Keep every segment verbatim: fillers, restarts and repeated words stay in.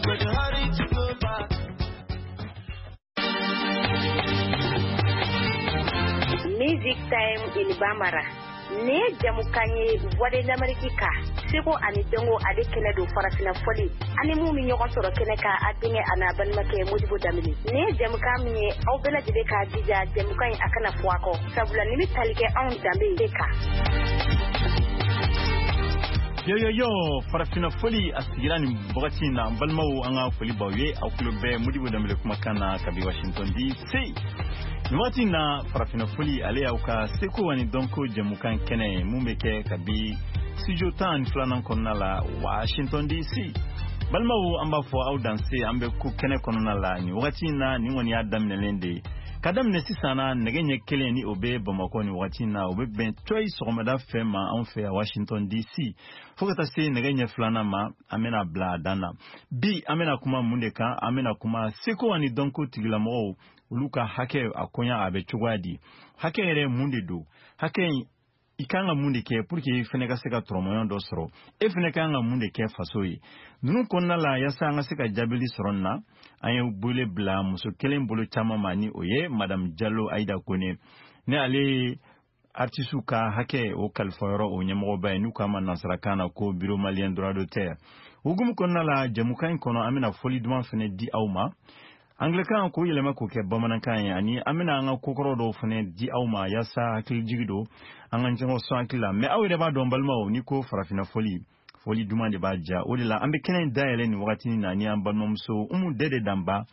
I got to hurry to go back. Music Time in Bambara. Ne jamukan ye Voix de l'Amérique kan seko ani dɔnko ale kɛnɛ don farafinna fɔli ani mun bɛ ɲɔgɔn sɔrɔ kɛnɛ kan a denkɛ a n'a balimakɛ Modibo Danbele nin ye jamukan min ye aw bɛɛ lajɛlen k'a jija jamukan in a kana fɔ a kɔ sabula nin bɛ tali kɛ anw danbe de kan. Yo yo yo farafinna fɔli a sigira nin wagati in na n balimaw an ka foli b'aw ye aw tulo bɛ Modibo Danbele kumakan na kabi Washington D C nin wagati in na. Farafinna fɔli ale y'aw ka seko ani dɔnko jɛmukan kɛnɛ ye mun bɛ kɛ kabi studio tan ani filanan kɔnɔna la Washington D C. Balimaw, an b'a fɔ aw danse an bɛ ko kɛnɛ kɔnɔna la nin wagati in na. Nin kɔni y'a daminɛlen de ye ka daminɛ sisan na nɛgɛ ɲɛ kelen ni o bɛ Bamakɔ nin wagati in na, o bɛ bɛn cɔyi sɔgɔmada fɛ ma anw fɛ yan Washington D C, fo ka taa se nɛgɛ ɲɛ filanan ma an bɛna bila a dan na. Bi an bɛna kuma mun de kan? An bɛna kuma seko ani dɔnko tigilamɔgɔw olu ka hakɛ a koɲa a bɛ cogoya di, hakɛ yɛrɛ mun de don, hakɛ in i kan ka mun de kɛ pour que i fɛnɛ ka se ka tɔrɔmɔɲɔgɔn dɔ sɔrɔ, e fɛnɛ kan ka mun de kɛ faso ye. Ninnu kɔnɔna la, yaasa an ka se ka jaabili sɔrɔ nin na, an ye wele bila muso kelen bolo caman ma ni o ye Madame Jalo Ayida Kone ni ale ye artisiw ka hakɛ o kalifayɔrɔ o ɲɛmɔgɔba ye n'u k'a ma nansarakan na ko Bureau malien droit d'auteur. Hukumu kɔnɔna la, jɛmukan in kɔnɔ an bɛna fɔli duman fɛnɛ di aw ma anglɛkan k'o yɛlɛma k'o kɛ bamanankan ye, ani an bɛna an ka kokɔrɔ dɔw fɛnɛ di aw ma yaasa hakilijigi don an ka ɲɔgɔn sɔn hakili la. Mɛ aw yɛrɛ b'a dɔn balimaw, ni ko farafinna fɔli, fɔli duman de b'a ja. O de la an bɛ kɛnɛ in dayɛlɛ nin wagati na ni an balimamuso Umu Dede Danba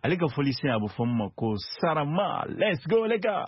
ale ka fɔli sen a bɛ fɔ min ma ko Sarama. Let's go les gars.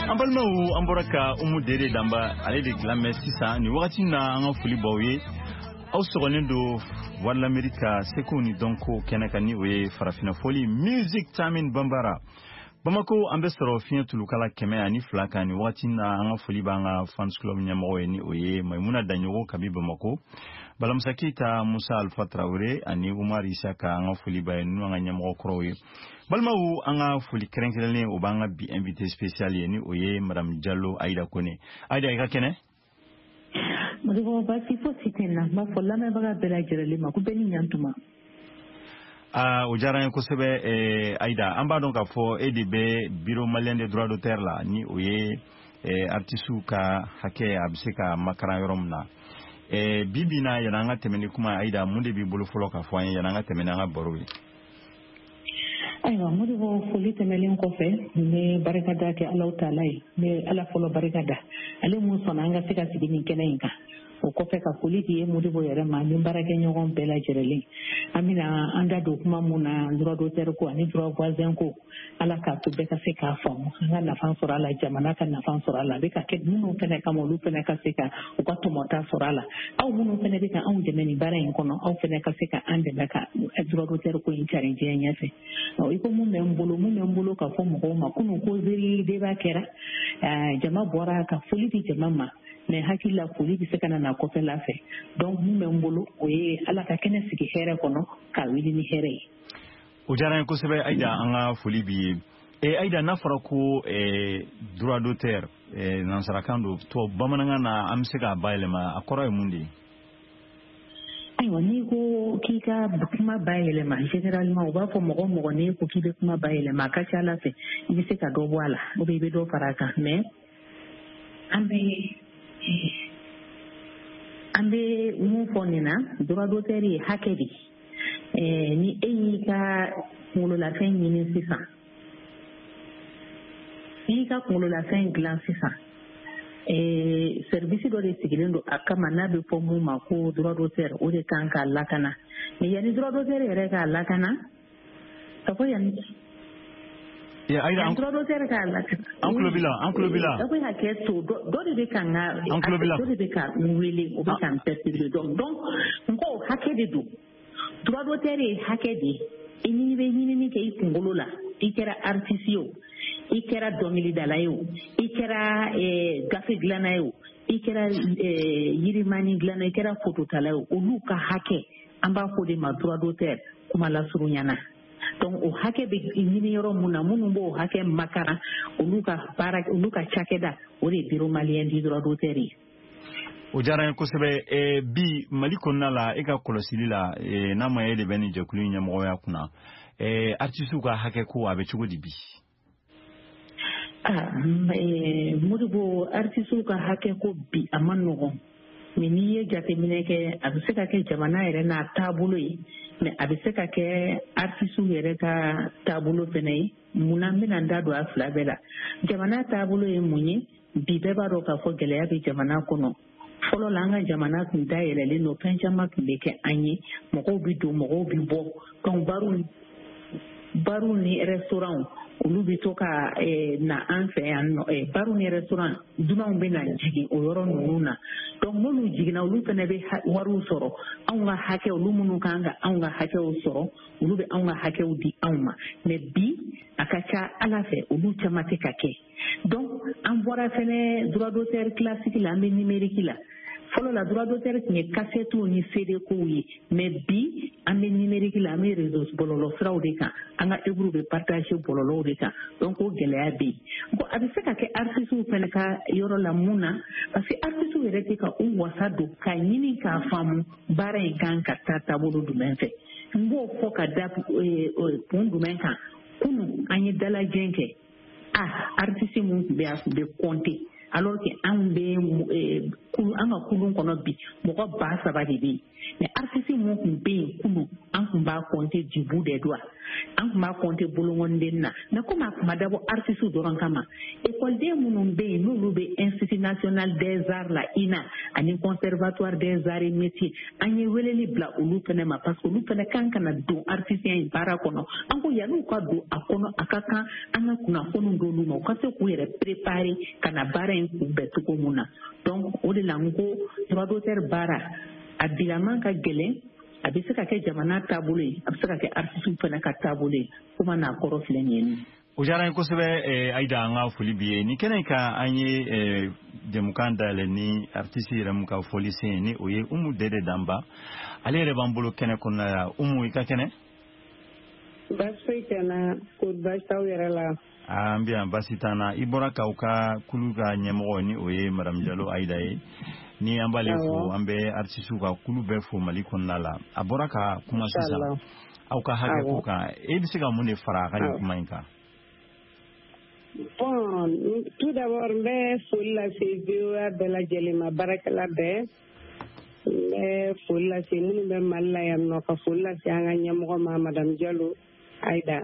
An balimaw, an bɔra ka Umu Dere Danba ale de lamɛn sisan nin wagati na. An ka foli b'aw ye, aw sɔgɔlen don Voix de l'Amérique ka seko ni dɔnko kɛnɛ kan ni o ye farafinna fɔli Music Time in Bambara. Bamako, an bɛ sɔrɔ fiɲɛ tulukala kɛmɛ ani fila kan nin wagati na. An ka foli b'an ka fans club ɲɛmɔgɔ ye ni o ye Maimuna Daɲogo kabi Bamako, Balamusa Keyita, Musa Alfa Tarawele ani Umar Isaka, an ka foli b'a ye, ninnu an ka ɲɛmɔgɔ kɔrɔw ye. Balimaw, an ka foli kɛrɛnkɛrɛnlen o b'an ka bi invité spécial ye ni o ye Madame Jalo Ayida Kone. Ayida, i ka kɛnɛ? Modibo, baasi fosi tɛ n na. N b'a fɔ lamɛnbaga bɛɛ lajɛlen ma ko bɛɛ ni ɲantuma. Aa, o diyara n ye kosɛbɛ. eh, Ayida, an b'a dɔn k'a fɔ e de bɛ Bureau malien des droits d'auteur la ni o ye eh, artisiw ka hakɛ a bɛ se ka makaran yɔrɔ min na. Eh, bi bi na, yanni an ka tɛmɛ ni kuma, Ayida, mun de b'i bolo fɔlɔ k'a fɔ an ye yanni an ka tɛmɛ n'an ka baro ye? Ayiwa Modibo, foli tɛmɛlen kɔfɛ, n bɛ barika da kɛ Alahu taala ye. N bɛ Ala fɔlɔ barika da, ale mun sɔnna an ka se ka sigi nin kɛnɛ in kan. O kɔfɛ, ka foli di ye Modibo yɛrɛ ma ni baarakɛɲɔgɔn bɛɛ lajɛlen. An bɛna an da don kuma mun na, droit d'auteur ko ani droit voisin ko, Ala k'a to bɛɛ ka se k'a faamu, an ka nafa sɔrɔ a la, jamana ka nafa sɔrɔ a la, a bɛ ka kɛ minnu fɛnɛ kama, olu fɛnɛ ka se ka u ka tɔmɔta sɔrɔ a la. Aw minnu fɛnɛ bɛ ka anw dɛmɛ nin baara in kɔnɔ, aw fɛnɛ ka se ka an dɛmɛ ka droit d'auteur ko in cari diɲɛ ɲɛfɛ. I ko mun bɛ n bolo mun bɛ n bolo ka fɔ mɔgɔw ma, kunun causerie débat kɛra, jama bɔra ka foli di jama ma, mais hakili la, foli bɛ se ka na na kɔfɛla fɛ. Donc mun bɛ n bolo, o ye Ala ka kɛnɛ sigi hɛrɛ kɔnɔ, ka wuli ni hɛrɛ ye. O diyara n ye kosɛbɛ Ayida, an ka foli b'i ye. E Ayida, n'a fɔra ko eh, droit d'auteur, eh, nansarakan don, tubabu bamanankan na, an bɛ se k'a bayɛlɛma, a kɔrɔ ye mun de ye? Ayiwa, n'i ko k'i ka kuma bayɛlɛma, généralement u b'a fɔ mɔgɔ mɔgɔ n'i ko k'i bɛ kuma bayɛlɛma, a ka ca Ala fɛ i bɛ se ka dɔ bɔ a la ou bien i bɛ dɔ fara a kan. Mais an bɛ an bɛ mun fɔ nin na, droit d'auteur ye hakɛ de ye. Ni e y'i ka kunkololafɛn ɲini sisan, n'i y'i ka kunkololafɛn dilan sisan, service dɔ de sigilen don a kama n'a bɛ fɔ mun ma ko droit d'auteur, o de kan k'a lakana. Mais yanni droit d'auteur yɛrɛ k'a lakana, ka fɔ yanni Ayida, droit d'auteur k'a lakana. An tulo b'i la, an tulo b'i la. Aw bɛ hakɛ to, dɔ de bɛ ka n ka An tulo b'i la. Dɔ de bɛ ka n wele, o bɛ ka n perturber. donc donc n ko hakɛ de don, droit d'auteur ye hakɛ de ye. I n'i bɛ ɲinini kɛ i kunkolo la, i kɛra artiste ye o, i kɛra dɔnkilidala ye o, i kɛra gafe dilanna ye o, i kɛra yirimani dilanna, i kɛra fototala ye o, olu ka hakɛ, an b'a fɔ o de ma droit d'auteur kuma lasurunya na. Donc o hakɛ bɛ ɲini yɔrɔ mun na, minnu b'o hakɛ makaran, olu ka baara, olu ka cakɛda, o de ye Bureau malien du droit d'auteur ye. O diyara n ye kosɛbɛ. Bi Mali kɔnɔna la, e ka kɔlɔsili la, n'a ma e de bɛ nin jɛkulu in ɲɛmɔgɔya kunna, artisiw ka hakɛ ko, a bɛ cogo di bi? Ah, Modibo, artisiw ka hakɛ ko bi, a ma nɔgɔn. Mais n'i ye jateminɛ kɛ, a bɛ se ka kɛ jamana yɛrɛ n'a taabolo ye, mais a bɛ se ka kɛ artisiw yɛrɛ ka taabolo fɛnɛ ye. Munna n bɛna n da don a fila bɛɛ la? Jamana taabolo ye mun ye? Bi bɛɛ b'a dɔn k'a fɔ gɛlɛya bɛ jamana kɔnɔ. Fɔlɔ la, an ka jamana tun dayɛlɛlen don, fɛn caman tun bɛ kɛ an ye, mɔgɔw bɛ don, mɔgɔw bɛ bɔ. Donc bariw bariw ni restaurant, olu bɛ to ka na an fɛ yan nɔ, bariw ni restaurant, dunanw bɛ na jigin o yɔrɔ ninnu na. Donc n'olu jiginna, olu fana bɛ wariw sɔrɔ, anw ka hakɛ, olu minnu kan ka anw ka hakɛw sɔrɔ, olu bɛ anw ka hakɛw di anw ma. Mais bi, a ka ca Ala fɛ, olu caman tɛ ka kɛ. Donc an bɔra fɛnɛ droit d'auteur classique la, an bɛ numérique la. Fɔlɔ la, droit d'auteur tun ye kasɛtiw ni C D kow ye, mais bi an bɛ numérique la, an bɛ réseau bɔlɔlɔ siraw de kan, an ka œuvre bɛ partager bɔlɔlɔw de kan. Donc o gɛlɛya bɛ yen. Bon, a bɛ se ka kɛ artistes fɛnɛ ka yɔrɔ la. Mun na? Parce que artistes yɛrɛ tɛ ka u wasa don k'a ɲini k'a faamu baara in kan ka taa taabolo jumɛn fɛ. N b'o fɔ ka da kun jumɛn kan? Kunun an ye dalajɛ kɛ, ah, artiste mun tun bɛ yen, a tun bɛ compter, alors que anw bɛ an ka kulun kɔnɔ bi, mɔgɔ ba saba de bɛ yen. Mais artiste mun tun bɛ yen kunun, an tun b'a compter du bout des doigts, an tun b'a compter bolonkɔniden na. Mais komi a tun ma dabɔ artiste dɔrɔn kama, ekɔliden minnu bɛ yen, n'olu bɛ Institut national des arts la, I N A, ani Conservatoire des arts et métiers, an ye weleli bila olu fɛnɛ ma, parce que olu fɛnɛ kan ka na don artiste in baara kɔnɔ. An ko yan'u ka don a kɔnɔ, a ka kan an ka kunnafoni d'olu ma, u ka se k'u yɛrɛ préparer ka na baara in kunbɛn cogo mun na. Donc o de la n ko droit d'auteur baara, a bilaman ka gɛlɛn. A bɛ se ka kɛ jamana taabolo ye, a bɛ se ka kɛ artiste fana ka taabolo ye. Kuma n'a kɔrɔ filɛ nin ye. O diyara n ye kosɛbɛ Ayida, an ka foli b'i ye. Nin kɛnɛ in kan, an ye jɛmukan dayɛlɛ ni artiste yɛrɛ mun ka fɔli sen, ni o ye Umu Dede Danba, ale yɛrɛ b'an bolo kɛnɛ kɔnɔna la. Umu, i ka kɛnɛ? Baasi foyi tɛ n na, ko baasi t'aw yɛrɛ la? An bɛ yan, baasi t'an na. I bɔra k'aw ka kulu ka ɲɛmɔgɔ, ni o ye madame Jalo Ayida ye, ni an b'ale fo, an bɛ artisiw ka kulu bɛɛ fo Mali kɔnɔna la. A bɔra ka kuma sisan aw ka hakɛ ko kan, e bɛ se ka mun de fara a ka nin kuma in kan? Bon, tout d'abord n bɛ foli lase V O A bɛɛ lajɛlen ma, baarakɛla bɛɛ. N bɛ foli lase minnu bɛ Mali la yan nɔ, ka foli lase an ka ɲɛmɔgɔ ma, Madame Diallo Aïda,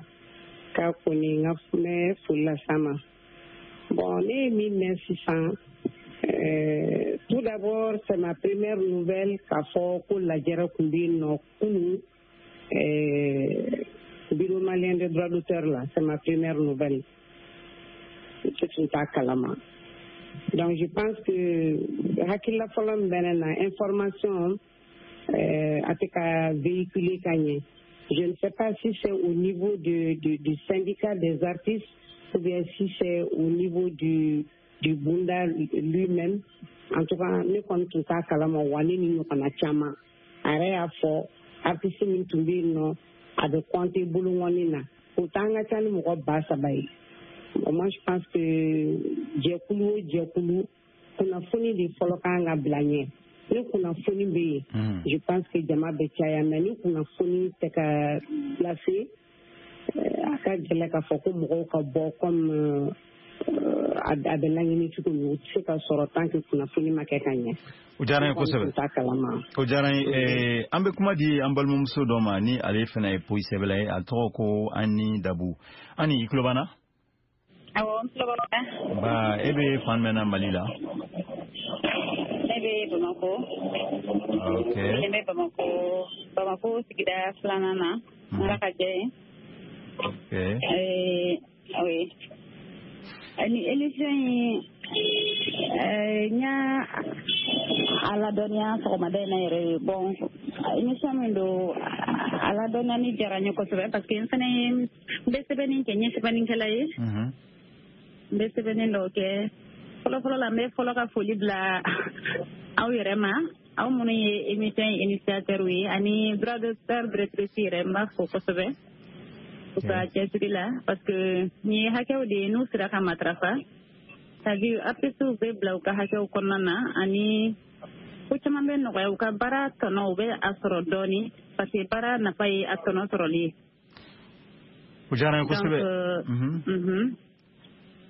k'a kɔni n ka n bɛ foli lase a ma. Bon, ne ye min mɛn sisan, euh, tout d'abord, c'est ma première nouvelle k'a fɔ ko lajɛrɛ tun bɛ yen nɔ kunun, euh, Bureau malien des droits d'auteur là, c'est ma première nouvelle. Ne tun t'a kalama. Donc je pense que hakilila fɔlɔ min bɛ ne na, information euh, a tɛ ka véhiculer ka ɲɛ. Je ne sais pas si c'est au niveau de, de, du syndicat des artistes ou bien si c'est au niveau du, du Bunda lui-même. En tout cas, ne kɔni tun t'a kalama, wa ne ni ɲɔgɔnna caman. A yɛrɛ y'a fɔ artiste min tun bɛ yen nɔ, a bɛ compter boloŋɔni na. O t'an ka ca ni mɔgɔ ba saba ye. Bon, moi je pense que jɛkulu o jɛkulu, kunnafoni de fɔlɔ kan ka bila ɲɛ. Ni kunnafoni bɛ yen, je pense que jama bɛ caya, mais ni kunnafoni tɛ ka lase, a ka gɛlɛ k'a fɔ ko mɔgɔw ka bɔ comme a bɛ laɲini cogo min. O tɛ se ka sɔrɔ tant que kunnafoni ma kɛ ka ɲɛ. O diyara n ye kosɛbɛ. O diyara n ye. An bɛ kuma di an balimamuso dɔ ma, ni ale fana ye poyi sɛbɛla ye, a tɔgɔ ko Ani Dabu. Ani, i tulo b'an na? Awɔ, n tulo b'aw la. Ba, e bɛ fan jumɛn na Mali la? Ne bɛ Bamakɔ. Ok. Ne bɛ Bamakɔ, Bamakɔ sigida filanan na. Ala ka jɛ ye. Ok. Euh, oui. Ni émission in, n y'a a ladɔnniya sɔgɔmada in na yɛrɛ. Bon, émission min don, a ladɔnniyani diyara n ye kosɛbɛ, parce que n fana ye, n bɛ sɛbɛnni kɛ, n ye sɛbɛnnikɛla ye. N bɛ sɛbɛnni dɔw kɛ. Fɔlɔfɔlɔ la, n bɛ fɔlɔ ka foli bila aw yɛrɛ ma, aw minnu ye émission initiateur ye, ani droit d'auteur directrice yɛrɛ, n b'a fo kosɛbɛ u ka cɛsiri la, parce que nin ye hakɛw de ye n'u sera ka matarafa, c'est-à-dire artistes bɛ bila u ka hakɛw kɔnɔna na, ani ko caman bɛ nɔgɔya, u ka baara tɔnɔ u bɛ a sɔrɔ dɔɔni, parce que baara nafa ye a tɔnɔ sɔrɔli ye. O diyara n ye kosɛbɛ.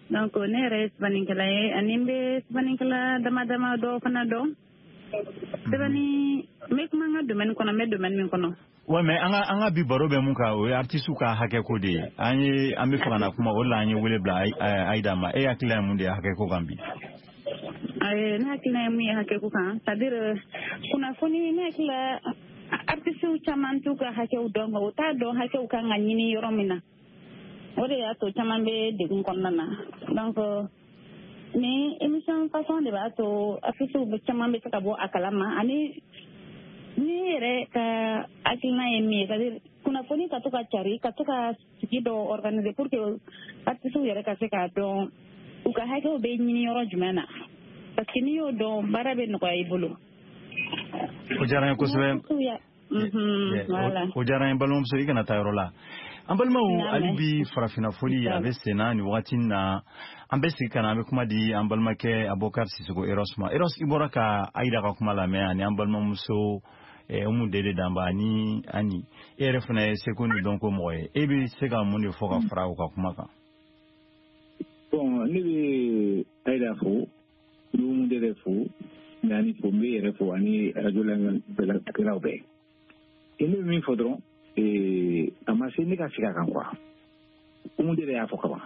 Donc ne yɛrɛ ye sɛbɛnnikɛla ye, ani n bɛ sɛbɛnnikɛla dama dama dɔw fana dɔn. Sɛbɛnni, n bɛ kuma n ka domaine kɔnɔ, n bɛ domaine min kɔnɔ. Ouais, mais an ka an ka bi baro bɛ mun kan, o ye artistes ka hakɛ ko de ye. An ye an bɛ fɛ ka na kuma o de la, an ye wele bila Aïda ma. E hakilina ye mun de ye hakɛ ko kan bi? Ne hakilina ye mun ye hakɛ ko kan, c'est à dire kunnafoni, ne hakili la artistes caman t'u ka hakɛw dɔn, u t'a dɔn hakɛw kan ka ɲini yɔrɔ min na. O de y'a to caman bɛ degun kɔnɔna na. Donc ni émission façon de b'a to artistes caman bɛ se ka bɔ a kalama, ani ni yɛrɛ ka hakilina ye min ye, c'est à dire kunnafoni ka to ka cari, ka to ka sigi dɔ organiser pour que artistes yɛrɛ ka se k'a dɔn u ka hakɛw bɛ ɲini yɔrɔ jumɛn na, parce que n'i y'o dɔn, baara bɛ nɔgɔya i bolo. O diyara n ye kosɛbɛ. O diyara n ye, balimamuso, i kana taa yɔrɔ la. An balimaw, hali bi farafinna foli a bɛ sen na nin wagati in na. An bɛ sigi ka na, an bɛ kuma di an balimakɛ Abubakar Sisoko Eros ma. Eros, i bɔra ka Aïda ka kuma lamɛn, ani an balimamuso Umu Dede Danba ani Ani. E yɛrɛ fana ye seko ni dɔnko mɔgɔ ye, e bɛ se ka mun de fɔ ka fara u ka kuma kan? Bon, ne bɛ Aïda fo, n bɛ Umu Dede fo, n bɛ Ani fo, n bɛ yɛrɛ fo, ani radio lamɛnnikɛlaw bɛɛ. Ne bɛ min fɔ dɔrɔn, a ma se ne ka segin a kan quoi. Umu Dede y'a fɔ kaban.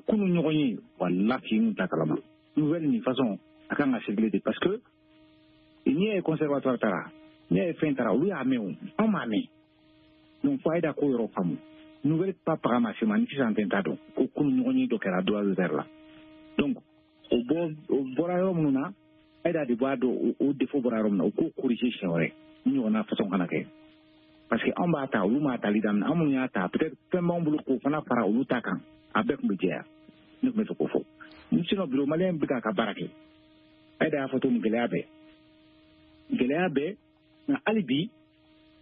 Kunun ɲɔgɔn ye, walahi n t'a kalama. Nouvelle nin façon a kan ka circuler de, parce que n'i y'a ye conservatoire taara, n'i y'a ye fɛn taara, olu y'a mɛn o, anw m'a mɛn. Donc fo Aïda k'o yɔrɔ faamu. Nouvelle pa paga ma se ma ni sisan tɛ, n t'a dɔn ko kunun ɲɔgɔn ye dɔ kɛra droit d'auteur la. Donc o bɔ o bɔra yɔrɔ minnu na, Aïda de b'a dɔn o défaut bɔra yɔrɔ min na, o k'o corriger siɲɛ wɛrɛ ni ɲɔgɔnna façon kana kɛ. Parce que anw b'a ta, olu m'a tali daminɛ, anw minnu y'a ta, peut-être fɛn b'anw bolo k'o fana fara olu ta kan, a bɛɛ tun bɛ jɛya. Ne tun bɛ fɛ k'o fɔ. Sinon bureau malien bɛ k'a ka baara kɛ. Aïda y'a fɔ cogo min, gɛlɛya bɛɛ gɛlɛya bɛɛ nka hali bi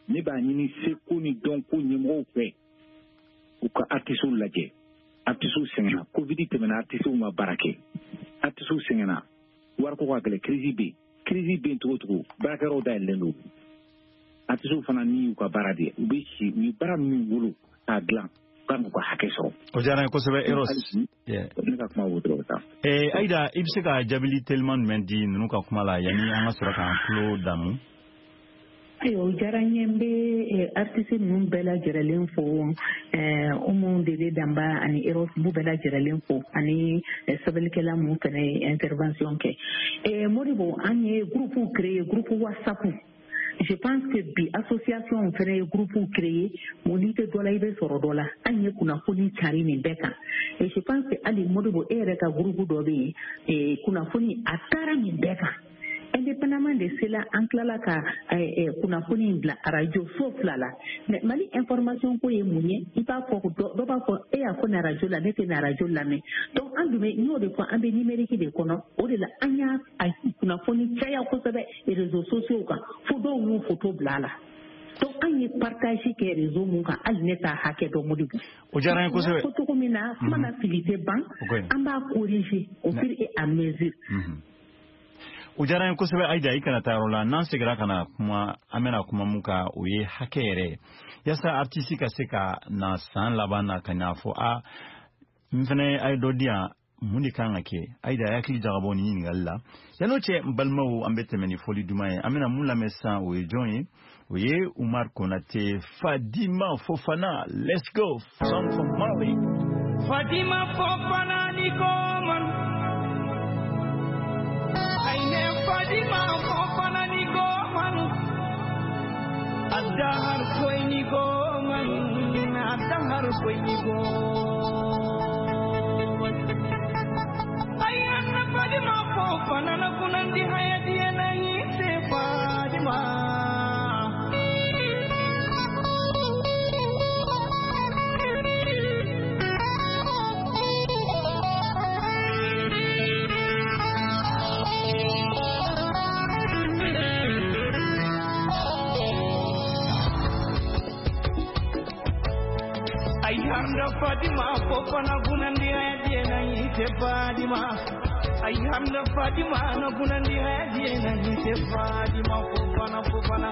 ne b'a ɲini seko ni dɔnko ɲɛmɔgɔw fɛ, u ka artistes lajɛ. Artistes sɛgɛnna, Covid tɛmɛna, artistes ma baara kɛ, artistes sɛgɛnna, wariko ka gɛlɛn, crise bɛ yen, crise bɛ yen cogo o cogo, baarakɛyɔrɔw dayɛlɛlen don. Artistes fana ni y'u ka baara de ye, u bɛ si, u ye baara min wolo k'a dilan, Kan k'u ka hakɛ sɔrɔ. O diyara n ye kosɛbɛ Eros. Ne ka kuma b'o dɔrɔn ta. Ee Ayida, i bɛ se ka jaabili teliman jumɛn di ninnu ka kuma la yanni an ka sɔrɔ k'an tulo damu? Ayiwa, o diyara n ye, n bɛ artiste ninnu bɛɛ lajɛlen fo, Umu Dede Danba ani Eros, n b'u bɛɛ lajɛlen fo, ani sɛbɛnnikɛla mun fana ye intervention kɛ. Modibo, an ye groupe créé, groupe WhatsApp. Je pense que bi association fana ye groupe créé, mun n'i tɛ dɔ la i bɛ sɔrɔ dɔ la. An ye kunnafoni cari nin bɛɛ kan. Et je pense que hali Modibo, e yɛrɛ ka groupe dɔ bɛ yen, kunnafoni a taara nin bɛɛ kan. Indépendamment de cela, an tilala ka kunnafoni in bila arajo so fila la. Mais Mali information ko ye mun ye? I b'a fɔ dɔ b'a fɔ e y'a fɔ nin arajo la, ne tɛ nin arajo lamɛn. Donc an dun bɛ, n y'o de fɔ, an bɛ numérique de kɔnɔ. O de la an y'a kunnafoni caya kosɛbɛ réseaux sociaux kan, fo dɔw y'u photo bila a la. Donc an ye partage kɛ réseau mun kan, hali ne t'a hakɛ dɔn Modibo. O diyara n ye kosɛbɛ. Fɔ cogo min na, kuma na fili tɛ ban, an b'a corriger au fur et à mesure. O diyara n ye kosɛbɛ Ayida, i kana taa yɔrɔ la. N'an seginna ka na kuma, an bɛna kuma mun kan, o ye hakɛ yɛrɛ ye, yaasa artiste ka se ka na san laban na ka n'a fɔ a n fɛnɛ a ye dɔ di yan, mun de kan ka kɛ? Ayida, a hakili jagabɔ nin ɲininkali la. Yan'o cɛ, n balimaw, an bɛ tɛmɛ ni fɔli duman ye. An bɛna mun lamɛn sisan, o ye jɔn ye? O ye Umar Konate, Fadima Fofana. Let's go, song from Mali. Fadima Fofana ni koman. Fadima Fofana ni goman, adahar koi ni goman, adahar koi ni goman. Ayana Fadima Fofana na kunandi hayati na ise Fadima. Ayanda Fadima Fofana gunandi hayati na ise Fadima. Ayanda Fadima na gunandi hayati na ise Fadima Fofana Fofana.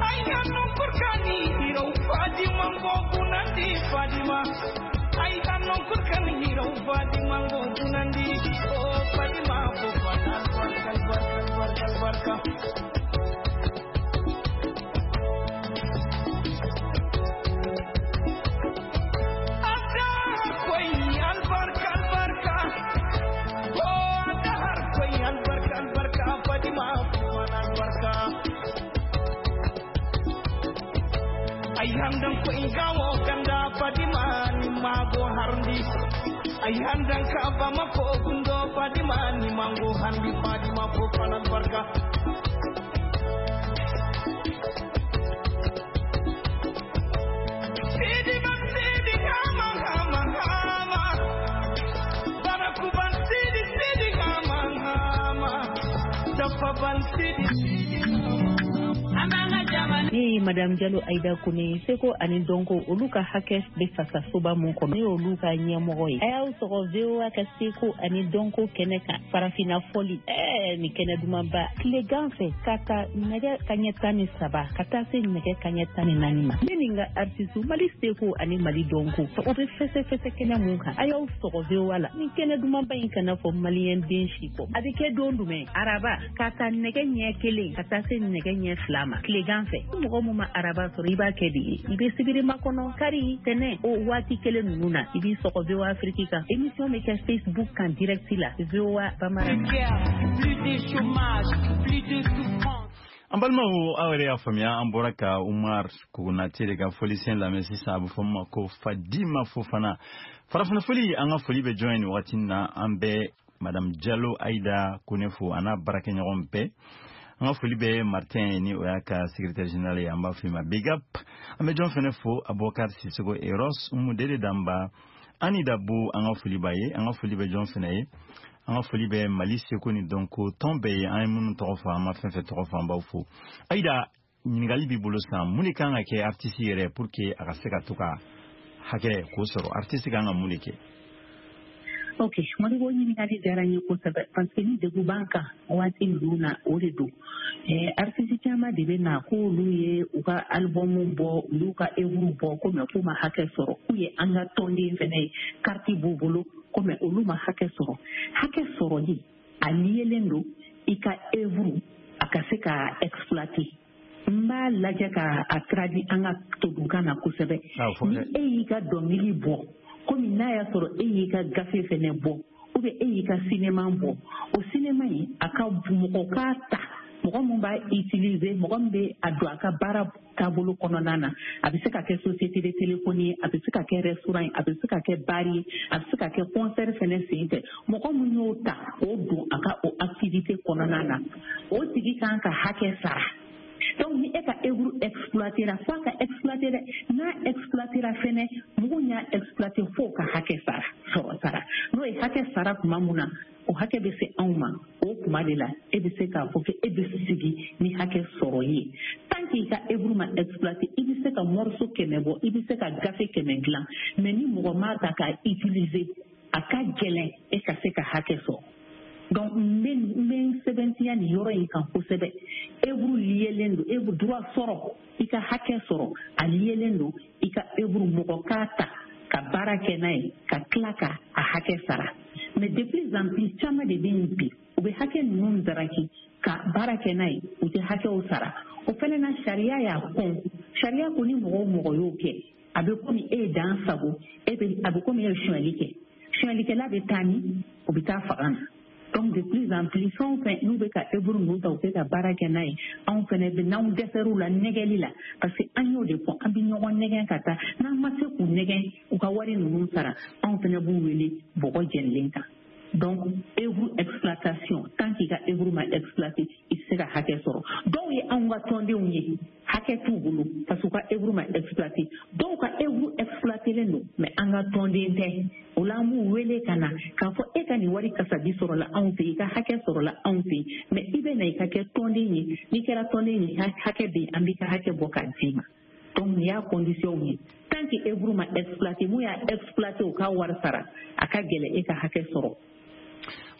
Ayanda kurkani hiro Fadima go gunandi Fadima. Ayanda kurkani hiro Fadima go gunandi oh Fadima Fofana barka barka barka barka. Ayhandan ko ingawo ganda Fadima ni mago harndi. Ayhandan ka Bamako gundo Fadima ni mango harndi Fadima Fofana barka. Sidi ban sidi hama hama hama. Barakuban sidi sidi hama hama. Dafa ban sidi sidi hama. Ne ye Madame Jalo Ayida Kone, seko ani dɔnko olu ka hakɛ bɛ fasa soba mun kɔnɔ, ne y'olu ka ɲɛmɔgɔ ye. A y'aw sɔgɔ V O A ka seko ani dɔnko kɛnɛ kan, farafinna fɔli, ɛɛ nin kɛnɛ dumanba, tilegan fɛ ka taa nɛgɛ kaɲɛ tan ni saba ka taa se nɛgɛ kaɲɛ tan ni naani ma. Ne ni n ka artiste Mali seko ani Mali dɔnko, o bɛ fɛsɛfɛsɛ kɛnɛ mun kan, a y'aw sɔgɔ V O A la. Nin kɛnɛ dumanba in kana fɔ maliyɛn den si kɔ. A bɛ kɛ don jumɛn? Araba ka taa nɛgɛ ɲɛ kelen ka taa se nɛgɛ ɲɛ fila ma tilegan fɛ. Mɔgɔ mun ma araba sɔrɔ, i b'a kɛ de ye, i bɛ sibiri makɔnɔ, kari, tɛnɛ, o waati kelen ninnu na, i b'i sɔgɔ V O A Afrique kan. Émission bɛ kɛ Facebook kan direct la, V O A Bambara. An balimaw, aw yɛrɛ y'a faamuya, an bɔra ka Umar Konate de ka fɔlisen lamɛn sisan, a bɛ fɔ min ma ko Fadima Fofana. Farafinna fɔli, an ka foli bɛ jɔn ye nin wagati in na? An bɛ Madame Jalo Ayida Kone fo, a n'a baarakɛɲɔgɔn bɛɛ. An ka foli bɛ Martin ni o y'a ka secrétaire général ye, an b'a f'i ma big up. An bɛ jɔn fɛnɛ fo? Abubakar Sisoko Eros, Umu Dede Danba, Ani Dabo, an ka foli b'a ye. An ka foli bɛ jɔn fɛnɛ ye? An ka foli bɛ Mali seko ni dɔnko tɔn bɛɛ ye. An ye minnu tɔgɔ fɔ, an ma fɛn fɛn tɔgɔ fɔ, an b'aw fo. Ayida, ɲininkali b'i bolo sisan, mun de kan ka kɛ artiste yɛrɛ pour que a ka se ka to ka hakɛ k'o sɔrɔ? Artiste kan ka mun de kɛ? Ok, Modibo, ɲininkali diyara n ye kosɛbɛ parce que ni degun b'an kan waati ninnu na, o de don. eh, artiste caman de bɛ na k'olu ye u ka album bɔ, u y'u ka œuvre bɔ ko mais k'u ma hakɛ sɔrɔ, k'u ye an ka tɔnden fɛnɛ ye, carte b'u bolo ko mais olu ma hakɛ sɔrɔ. Hakɛ sɔrɔli a liyelen don i ka œuvre a ka se ka exploiter. N b'a lajɛ ka a traduit an ka todunkan na kosɛbɛ. Ni e y'i ka dɔnkili bɔ, komi n'a y'a sɔrɔ e y'i ka gafe fɛnɛ bɔ, ou bien e y'i ka cinéma bɔ, o cinéma in a ka mɔgɔ k'a ta, mɔgɔ min b'a utiliser, mɔgɔ min bɛ a don a ka baara taabolo kɔnɔna na, a bɛ se ka kɛ société de téléphonie ye, a bɛ se ka kɛ restaurant ye, a bɛ se ka kɛ bar ye, a bɛ se ka kɛ concert fɛnɛ sen fɛ, mɔgɔ min y'o ta k'o don a ka o activité kɔnɔna na, o tigi kan ka hakɛ sara. Donc ni e ka œuvre exploitera, fo a ka exploiter dɛ, n'a exploitera fɛnɛ, mugu y'a exploiter f'o ka hakɛ sara sɔrɔ sara. N'o ye hakɛ sara tuma mun na, o hakɛ bɛ se anw ma, o tuma de la e bɛ se k'a fɔ k'e bɛ sigi ni hakɛ sɔrɔ ye. Tant que i ka œuvre ma exploiter, i bɛ se ka morceau kɛmɛ bɔ, i bɛ se ka gafe kɛmɛ dilan, mais ni mɔgɔ m'a ta k'a utiliser, a ka gɛlɛn e ka se ka hakɛ sɔrɔ. Donc n bɛ n bɛ n sɛbɛntiya nin yɔrɔ in kan kosɛbɛ. Œuvre liyelen don, œuvre droit sɔrɔ, i ka hakɛ sɔrɔ, a liyelen don i ka œuvre mɔgɔ k'a ta ka baara kɛ n'a ye, ka tila ka a hakɛ sara. Mais de plus en plus, caman de bɛ yen bi, u bɛ hakɛ ninnu daraki ka baara kɛ n'a ye, u tɛ hakɛw sara. O fɛnɛ na, sariya y'a kɔn. Sariya ko ni mɔgɔ o mɔgɔ y'o kɛ, a bɛ komi e ye dan sago, e bɛ a bɛ komi e ye sonyali kɛ. Sonyalikɛla bɛ taa ni o bɛ taa faga na. Donc de plus en plus, fɛn o fɛn n'u bɛ ka œuvre ninnu ta, u bɛ ka baara kɛ n'a ye, anw fɛnɛ bɛ n'anw dɛsɛr'u la nɛgɛli la, parce que an y'o de fɔ, an bɛ ɲɔgɔn nɛgɛn ka taa, n'an ma se k'u nɛgɛn u ka wari ninnu sara, anw fɛnɛ b'u wele bɔgɔ jɛnilen kan. Donc œuvre exploitation, tant k'i ka œuvre ma exploiter, i tɛ se ka hakɛ sɔrɔ. Dɔw ye anw ka tɔndenw ye, hakɛ t'u bolo parce que u ka œuvre ma exploiter. Dɔw ka œuvre exploitelen don, mais an ka tɔnden tɛ. O la an b'u wele ka na k'a fɔ e ka nin wari kasabi sɔrɔla anw fɛ, i ka hakɛ sɔrɔla anw fɛ, mais i bɛ na i ka kɛ tɔnden ye. N'i kɛra tɔnden ye, hakɛ bɛ yen, an b'i ka hakɛ bɔ k'a d'i ma. Donc nin y'a condition ye. Tant que œuvre ma exploiter, mun y'a exploiter u ka wari sara, a ka gɛlɛn e ka hakɛ sɔrɔ.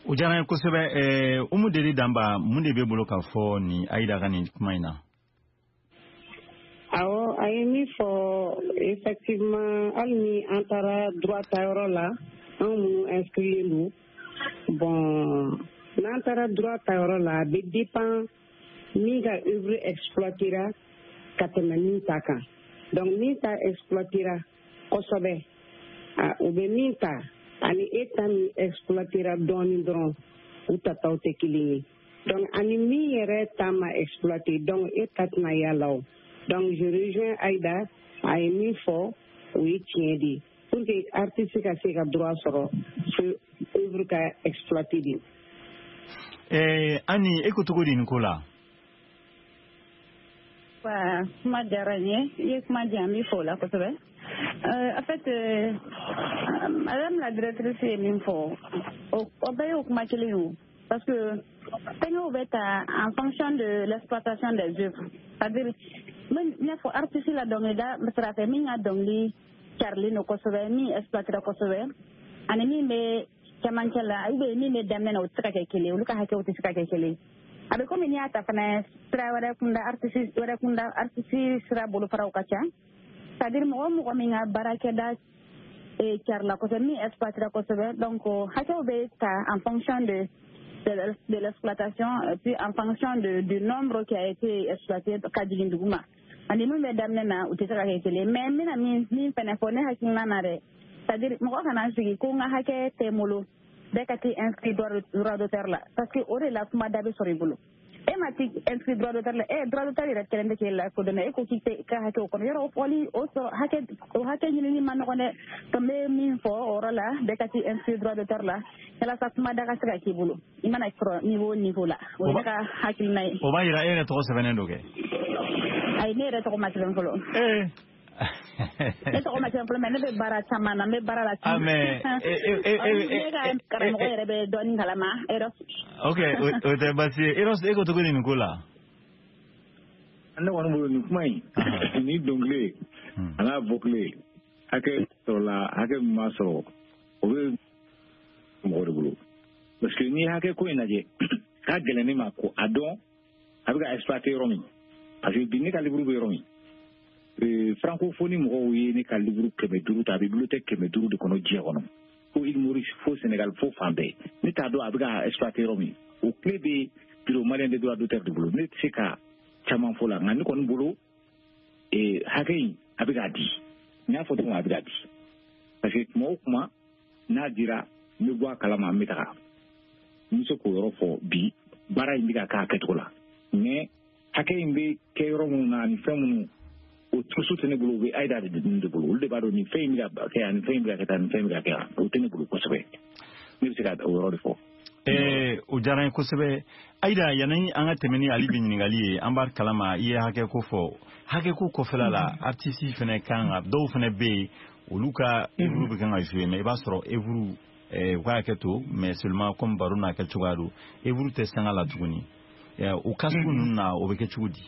O diyara n ye kosɛbɛ. Umu Deli Danba, mun de b'e bolo k'a fɔ nin Ayida ka nin kuma in na? Awɔ, a ye min fɔ, effectivement, hali ni an taara droit tayɔrɔ la, anw minnu inscrilen don, bon, n'an taara droit tayɔrɔ la, a bɛ dépend min ka œuvre exploitera ka tɛmɛ min ta kan. Donc min ta exploitera kosɛbɛ, o bɛ min ta ani e ta min exploitera dɔɔnin dɔrɔn, u tataw tɛ kelen ye. Donc ani min yɛrɛ ta ma exploiter, donc e ta tɛna y'a la o. Donc je rejoins Aïda, a ye min fɔ, o ye tiɲɛ de ye. Pour que artiste ka se ka droit sɔrɔ, fo œuvre ka exploiter de. Eh, Ani, e ko cogo di nin ko la? Wa kuma diyara n ye, i ye kuma di yan, n b'i fo o la kosɛbɛ. Euh, en fait, euh, madame la directrice ye min fɔ, o bɛɛ y'o kuma kelen ye o. Parce que fɛngɛw bɛ ta en fonction de l'exploitation des œuvres. C'est-à-dire, n y'a fɔ artiste la dɔnkilida sira fɛ, min ka dɔnkili carilen don kosɛbɛ, min exploitera kosɛbɛ, ani min bɛ cɛmancɛ la, ou bien min bɛ daminɛ na, o tɛ se ka kɛ kelen ye, olu ka hakɛw tɛ se ka kɛ kelen ye. A bɛ komi n'i y'a ta fana sira wɛrɛ kunda, artiste wɛrɛ kunda, artiste sira bolofaraw ka ca. C'est-à-dire mɔgɔ mɔgɔ min ka baarakɛda carila kosɛbɛ, min exploitera kosɛbɛ, donc hakɛw bɛ ta en fonction de de, de l'exploitation, puis en fonction de, du nombre qui a été exploité ka jigin duguma. Ani min bɛ daminɛ na, u tɛ se ka kɛ kelen. Mais n bɛna min min fɛnɛ fɔ, ne hakilina na dɛ, c'est-à-dire mɔgɔ kana sigi ko n ka hakɛ tɛ n bolo, bɛɛ ka t'i inscrit droit d'auteur la, parce que o de la kuma da bɛ sɔrɔ i bolo. E ma t'i inscrit droit d'auteur la, e droit d'auteur yɛrɛ kɛlen tɛ k'e la kodɔn, e ko k'i tɛ ka hakɛ o kɔnɔ, yɔrɔ o fɔli o sɔrɔ hakɛ o hakɛ ɲinini ma nɔgɔn dɛ. Donc n bɛ min fɔ o yɔrɔ la, bɛɛ ka t'i inscrit droit d'auteur la walasa kuma da ka se ka k'i bolo, i mana sɔrɔ niveau o niveau la. O ye ne ka hakilina ye. O b'a yira e yɛrɛ tɔgɔ sɛbɛnnen don kɛ? Ayi, ne yɛrɛ tɔgɔ ma sɛbɛn fɔlɔ. Ee. Ne tɔgɔ ma sɛbɛn fɔlɔ, mais ne bɛ baara caman na, n bɛ baara la. Ah, mais e e e ne ka karamɔgɔ yɛrɛ bɛ dɔɔnin kalama. Eros. Ok, o tɛ baasi ye. Eros, e ko cogo di nin ko la? Ne kɔni bolo nin kuma in, ni dɔnkili a n'a bɔkile, hakɛ sɔrɔla, hakɛ min ma sɔrɔ, o bɛ mɔgɔ de bolo parce que n'i ye hakɛ ko in lajɛ k'a gɛlɛn ne ma ko a dɔn a bɛ ka exploiter yɔrɔ min parce que bi ne ka livre bɛ yɔrɔ min francophonie mɔgɔw ye ne ka livre kɛmɛ duuru ta a bɛ bibliothèque kɛmɛ duuru de kɔnɔ diɲɛ kɔnɔ fo Île Maurice fo Sénégal fo fan bɛɛ ne t'a dɔn a bɛ ka exploiter yɔrɔ min o clé bɛ bureau malien des droits d'auteur de bolo ne tɛ se ka caman fɔ la nka ne kɔni bolo hakɛ in a bɛ k'a di n y'a fɔ cogo min a bɛ k'a di parce que tuma o tuma n'a dira n bɛ bɔ a kalama n bɛ taga n bɛ se k'o yɔrɔ fɔ bi baara in bɛ ka k'a kɛcogo la mais hakɛ in bɛ kɛ yɔrɔ minnu na ani fɛn minnu o tusu tɛ ne bolo u bɛ Aïda de de bolo olu de b'a dɔn nin fɛn in bɛ ka kɛ yan nin fɛn in bɛ ka kɛ tan nin fɛn in bɛ ka kɛ yan o tɛ ne bolo kosɛbɛ ne bɛ se ka o yɔrɔ de fɔ. Ɛɛ o diyara n ye kosɛbɛ Aïda yanni an ka tɛmɛ ni Ali bi ɲininkali ye an b'a kalama i ye hakɛ ko fɔ hakɛ ko kɔfɛla la artiste fɛnɛ kan ka dɔw fɛnɛ bɛ yen olu ka œuvre bɛ kan ka jouer mais i b'a sɔrɔ œuvre u ka hakɛ to mais seulement comme baro n'a kɛ cogoya don œuvre tɛ sanga la tuguni o cas sugu ninnu na o bɛ kɛ cogo di.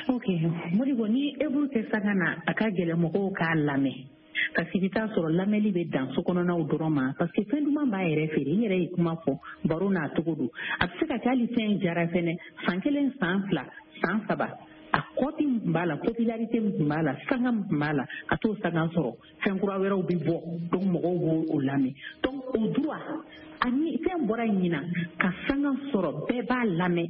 Ok Modibo ni œuvre tɛ sanga na a ka gɛlɛn mɔgɔw k'a lamɛn parce que i bɛ taa sɔrɔ lamɛnli bɛ dan so kɔnɔnaw dɔrɔn ma parce que fɛn duman b'a yɛrɛ feere i yɛrɛ ye kuma fɔ baro n'a cogo don a bɛ se ka kɛ hali fɛn jara fɛnɛ san kelen san fila san saba a kɔti min tun b'a la popularité min tun b'a la sanga min tun b'a la a t'o sanga sɔrɔ fɛn kura wɛrɛw bɛ bɔ donc mɔgɔw b'o o lamɛn donc o droit ani fɛn bɔra ɲina ka sanga sɔrɔ bɛɛ b'a lamɛn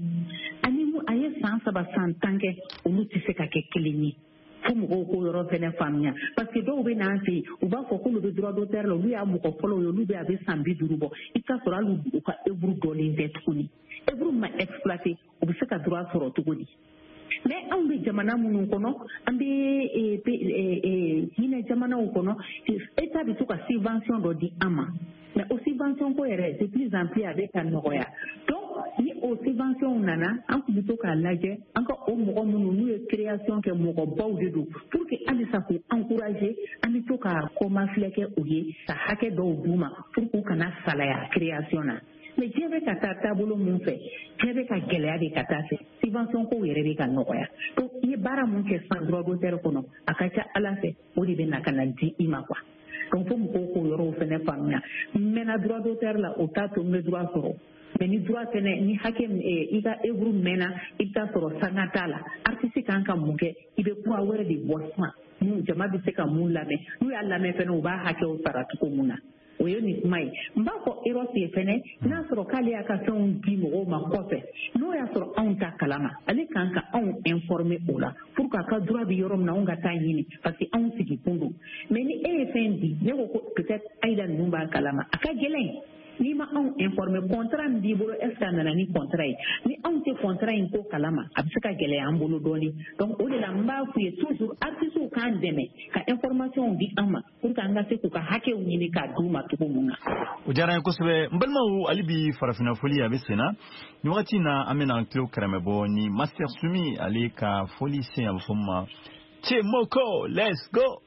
ani a ye san saba san tan kɛ olu tɛ se ka kɛ kelen ye fo mɔgɔw k'o yɔrɔ fɛnɛ faamuya parce que dɔw bɛ n'an fɛ yen u b'a fɔ k'olu bɛ droit d'auteur la olu y'a mɔgɔ fɔlɔw ye olu bɛ a bɛ san bi duuru bɔ i bɛ taa sɔrɔ hali u ka œuvre dɔlen tɛ tuguni œuvre ma exploité u bɛ se ka droit sɔrɔ cogo di. Mais anw bɛ jamana minnu kɔnɔ an bɛ hinɛ jamanaw kɔnɔ État bɛ to ka subvention dɔ di an ma mais o subvention ko yɛrɛ de plus en plus a bɛ ka nɔgɔya donc ni o subvention nana an tun bɛ to k'a lajɛ an ka o mɔgɔ minnu n'u ye création kɛ mɔgɔbaw de don pour que halisa k'u encourager an bɛ to ka kɔmafilɛ kɛ u ye ka hakɛ dɔw d'u ma pour k'u kana salaya création na. Mais diɲɛ bɛ ka taa taabolo mun fɛ diɲɛ bɛ ka gɛlɛya de ka taa fɛ subvention kow yɛrɛ bɛ ka nɔgɔya donc i ye baara mun kɛ san droit d'auteur kɔnɔ a ka ca Ala fɛ o de bɛ na ka na di i ma quoi donc fo mɔgɔw k'o yɔrɔw fɛnɛ faamuya n mɛnna droit d'auteur la o t'a to n bɛ droit sɔrɔ mais ni droit fɛnɛ ni hakɛ i ka œuvre mɛnna i bɛ taa sɔrɔ sanga t'a la artiste kan ka mun kɛ i bɛ kura wɛrɛ de bɔ sisan mun jama bɛ se ka mun lamɛn n'u y'a lamɛn fɛnɛ u b'a hakɛw sara cogo mun na. O ye nin kuma ye n b'a fɔ Eros ye fɛnɛ n'a sɔrɔ k'ale y'a ka fɛnw di mɔgɔw ma kɔfɛ n'o y'a sɔrɔ anw ta kalama ale kan ka anw informer o la pour que a ka droit bɛ yɔrɔ min na anw ka taa ɲini parce que anw sigi kun don mais ni e ye fɛn di ne ko ko peut-être Aïda ninnu b'a kalama a ka gɛlɛn n'i ma anw informer contrat min b'i bolo est ce que a nana ni contrat ye ni anw tɛ contrat in ko kalama a bɛ se ka gɛlɛya an bolo dɔɔnin donc o de la n b'a f'u ye toujours artistes k'an dɛmɛ ka information di an ma pour que an ka se k'u ka hakɛw ɲini k'a d'u ma cogo mun na. O diyara n ye kosɛbɛ n balimaw hali bi farafinna foli a bɛ sen na nin wagati in na an bɛna an tulo kɛrɛmɛ bɔ ni Master Sumi ale ka foli sen a bɛ fɔ min ma Cemoko let's go.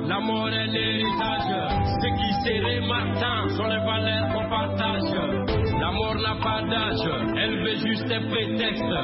La mort est l'héritage, ce qui serait matin sont les valeurs qu'on partage. La mort n'a pas d'âge, elle veut juste un prétexte.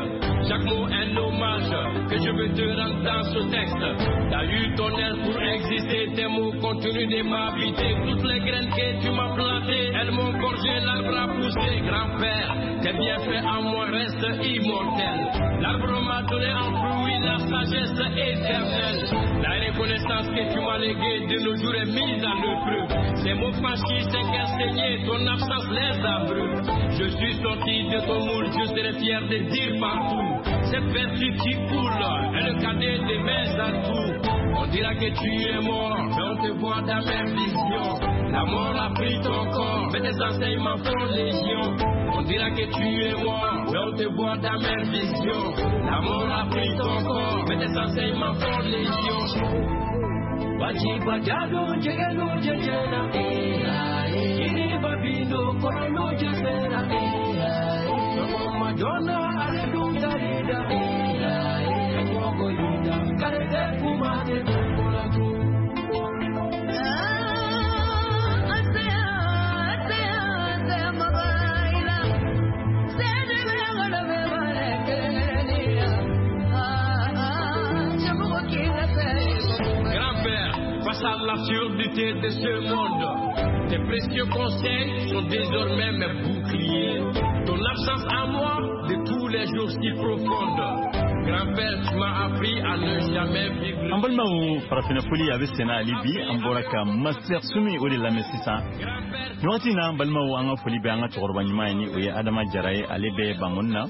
Chaque mot un hommage que je veux te rendre dans ce texte. T'as eu ton air pour exister, tes mots continuent de m'habiter. Toutes les graines que tu m'as plantées, elles m'ont gorgé, l'arbre a poussé. Grand-père, tes bienfaits en moi restent immortels. L'arbre m'a donné un fruit, la sagesse éternelle. La reconnaissance que tu m'as léguée de nos jours est mise à l'épreuve. Ces mots franchis, c'est qu'enseigner, ton absence les abreuve. Je suis sorti de ton moule, je serai fier de dire partout. Cette vertu qui coule est le cadet de mes atouts. On dira que tu es mort, mais on te voit dans mes visions. La mort a pris ton corps, mais tes enseignements font légion. On dira que tu es mort, mais on te voit dans mes visions. La mort a pris ton corps, mais tes enseignements font légion. Grand-père, face à l'absurdité de ce monde, tes précieux conseils sont désormais mes boucliers. Ton absence à moi de tous les jours si profonde. Grand-père, tu m'as appris à ne jamais vivre. An balimaw, farafinna foli a bɛ senna hali bi. An bɔra ka Master Sumi o de lamɛn sisan nin wagati in na. An balimaw, an ka foli bɛ an ka cɛkɔrɔba ɲuman ye, ni o ye Adama Jara ye, ale bɛ Bangoni na.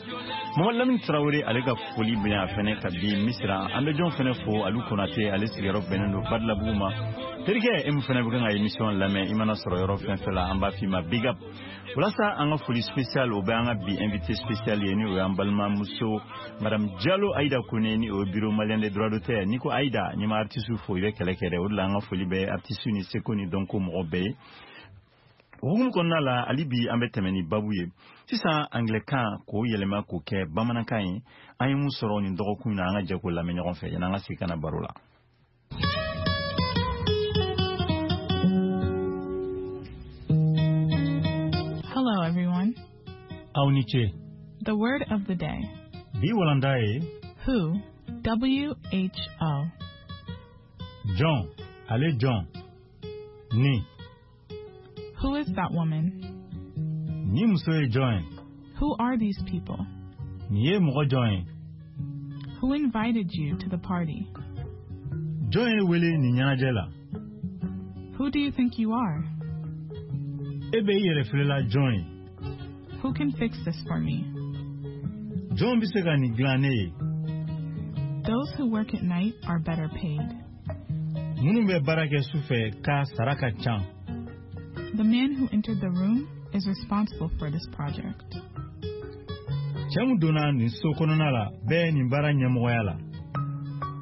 Mamadu Lamini Tarawele, ale ka foli bɛ a fɛnɛ ka bi Misira. An bɛ jɔn fɛnɛ fo? Alu Konate, ale sigiyɔrɔ bɛnnen don Badilabugu ma. Terikɛ e min fɛnɛ bɛ kan ka émission lamɛn, i mana sɔrɔ yɔrɔ fɛn fɛn la, an b'a f'i ma big up. Walasa an ka foli spécial o bɛ an ka bi invité spécial ye, ni o y'an balimamuso madame Diallo Aïda Kone, ni o ye Bureau malien des droits d'auteur. N'i ko Aïda, n'i ma artiste fo, i bɛ kɛlɛ kɛ dɛ. O de la an ka foli bɛ artiste ni seko ni dɔnko mɔgɔ bɛɛ ye. O hukumu kɔnɔna la, hali bi an bɛ tɛmɛ ni babu ye sisan, anglais-kan k'o yɛlɛma k'o kɛ bamanankan ye. An ye mun sɔrɔ nin dɔgɔkun in na? An ka jɛ k'o lamɛn ɲɔgɔn fɛ yanni an ka segin ka na baro la. Hello, everyone. Aw ni ce. The word of the day. Bi walanda ye Who? W H O. Jɔn, ale jɔn ni. Who is that woman? Ni muso ye jɔn ye? Who are these people? Nin ye mɔgɔ jɔn ye? Who invited you to the party? Jɔn ye wele nin ɲɛnajɛ la? Who do you think you are? E bɛ i yɛrɛ filɛla jɔn ye? Who can fix this for me? Jɔn bɛ se ka nin dilan ne ye? Those who work at night are better paid. Minnu bɛ baara kɛ su fɛ ka sara ka ca. The man who entered the room is responsible for this project. Cɛ min donna nin so kɔnɔna la bɛɛ nin baara ɲɛmɔgɔya la.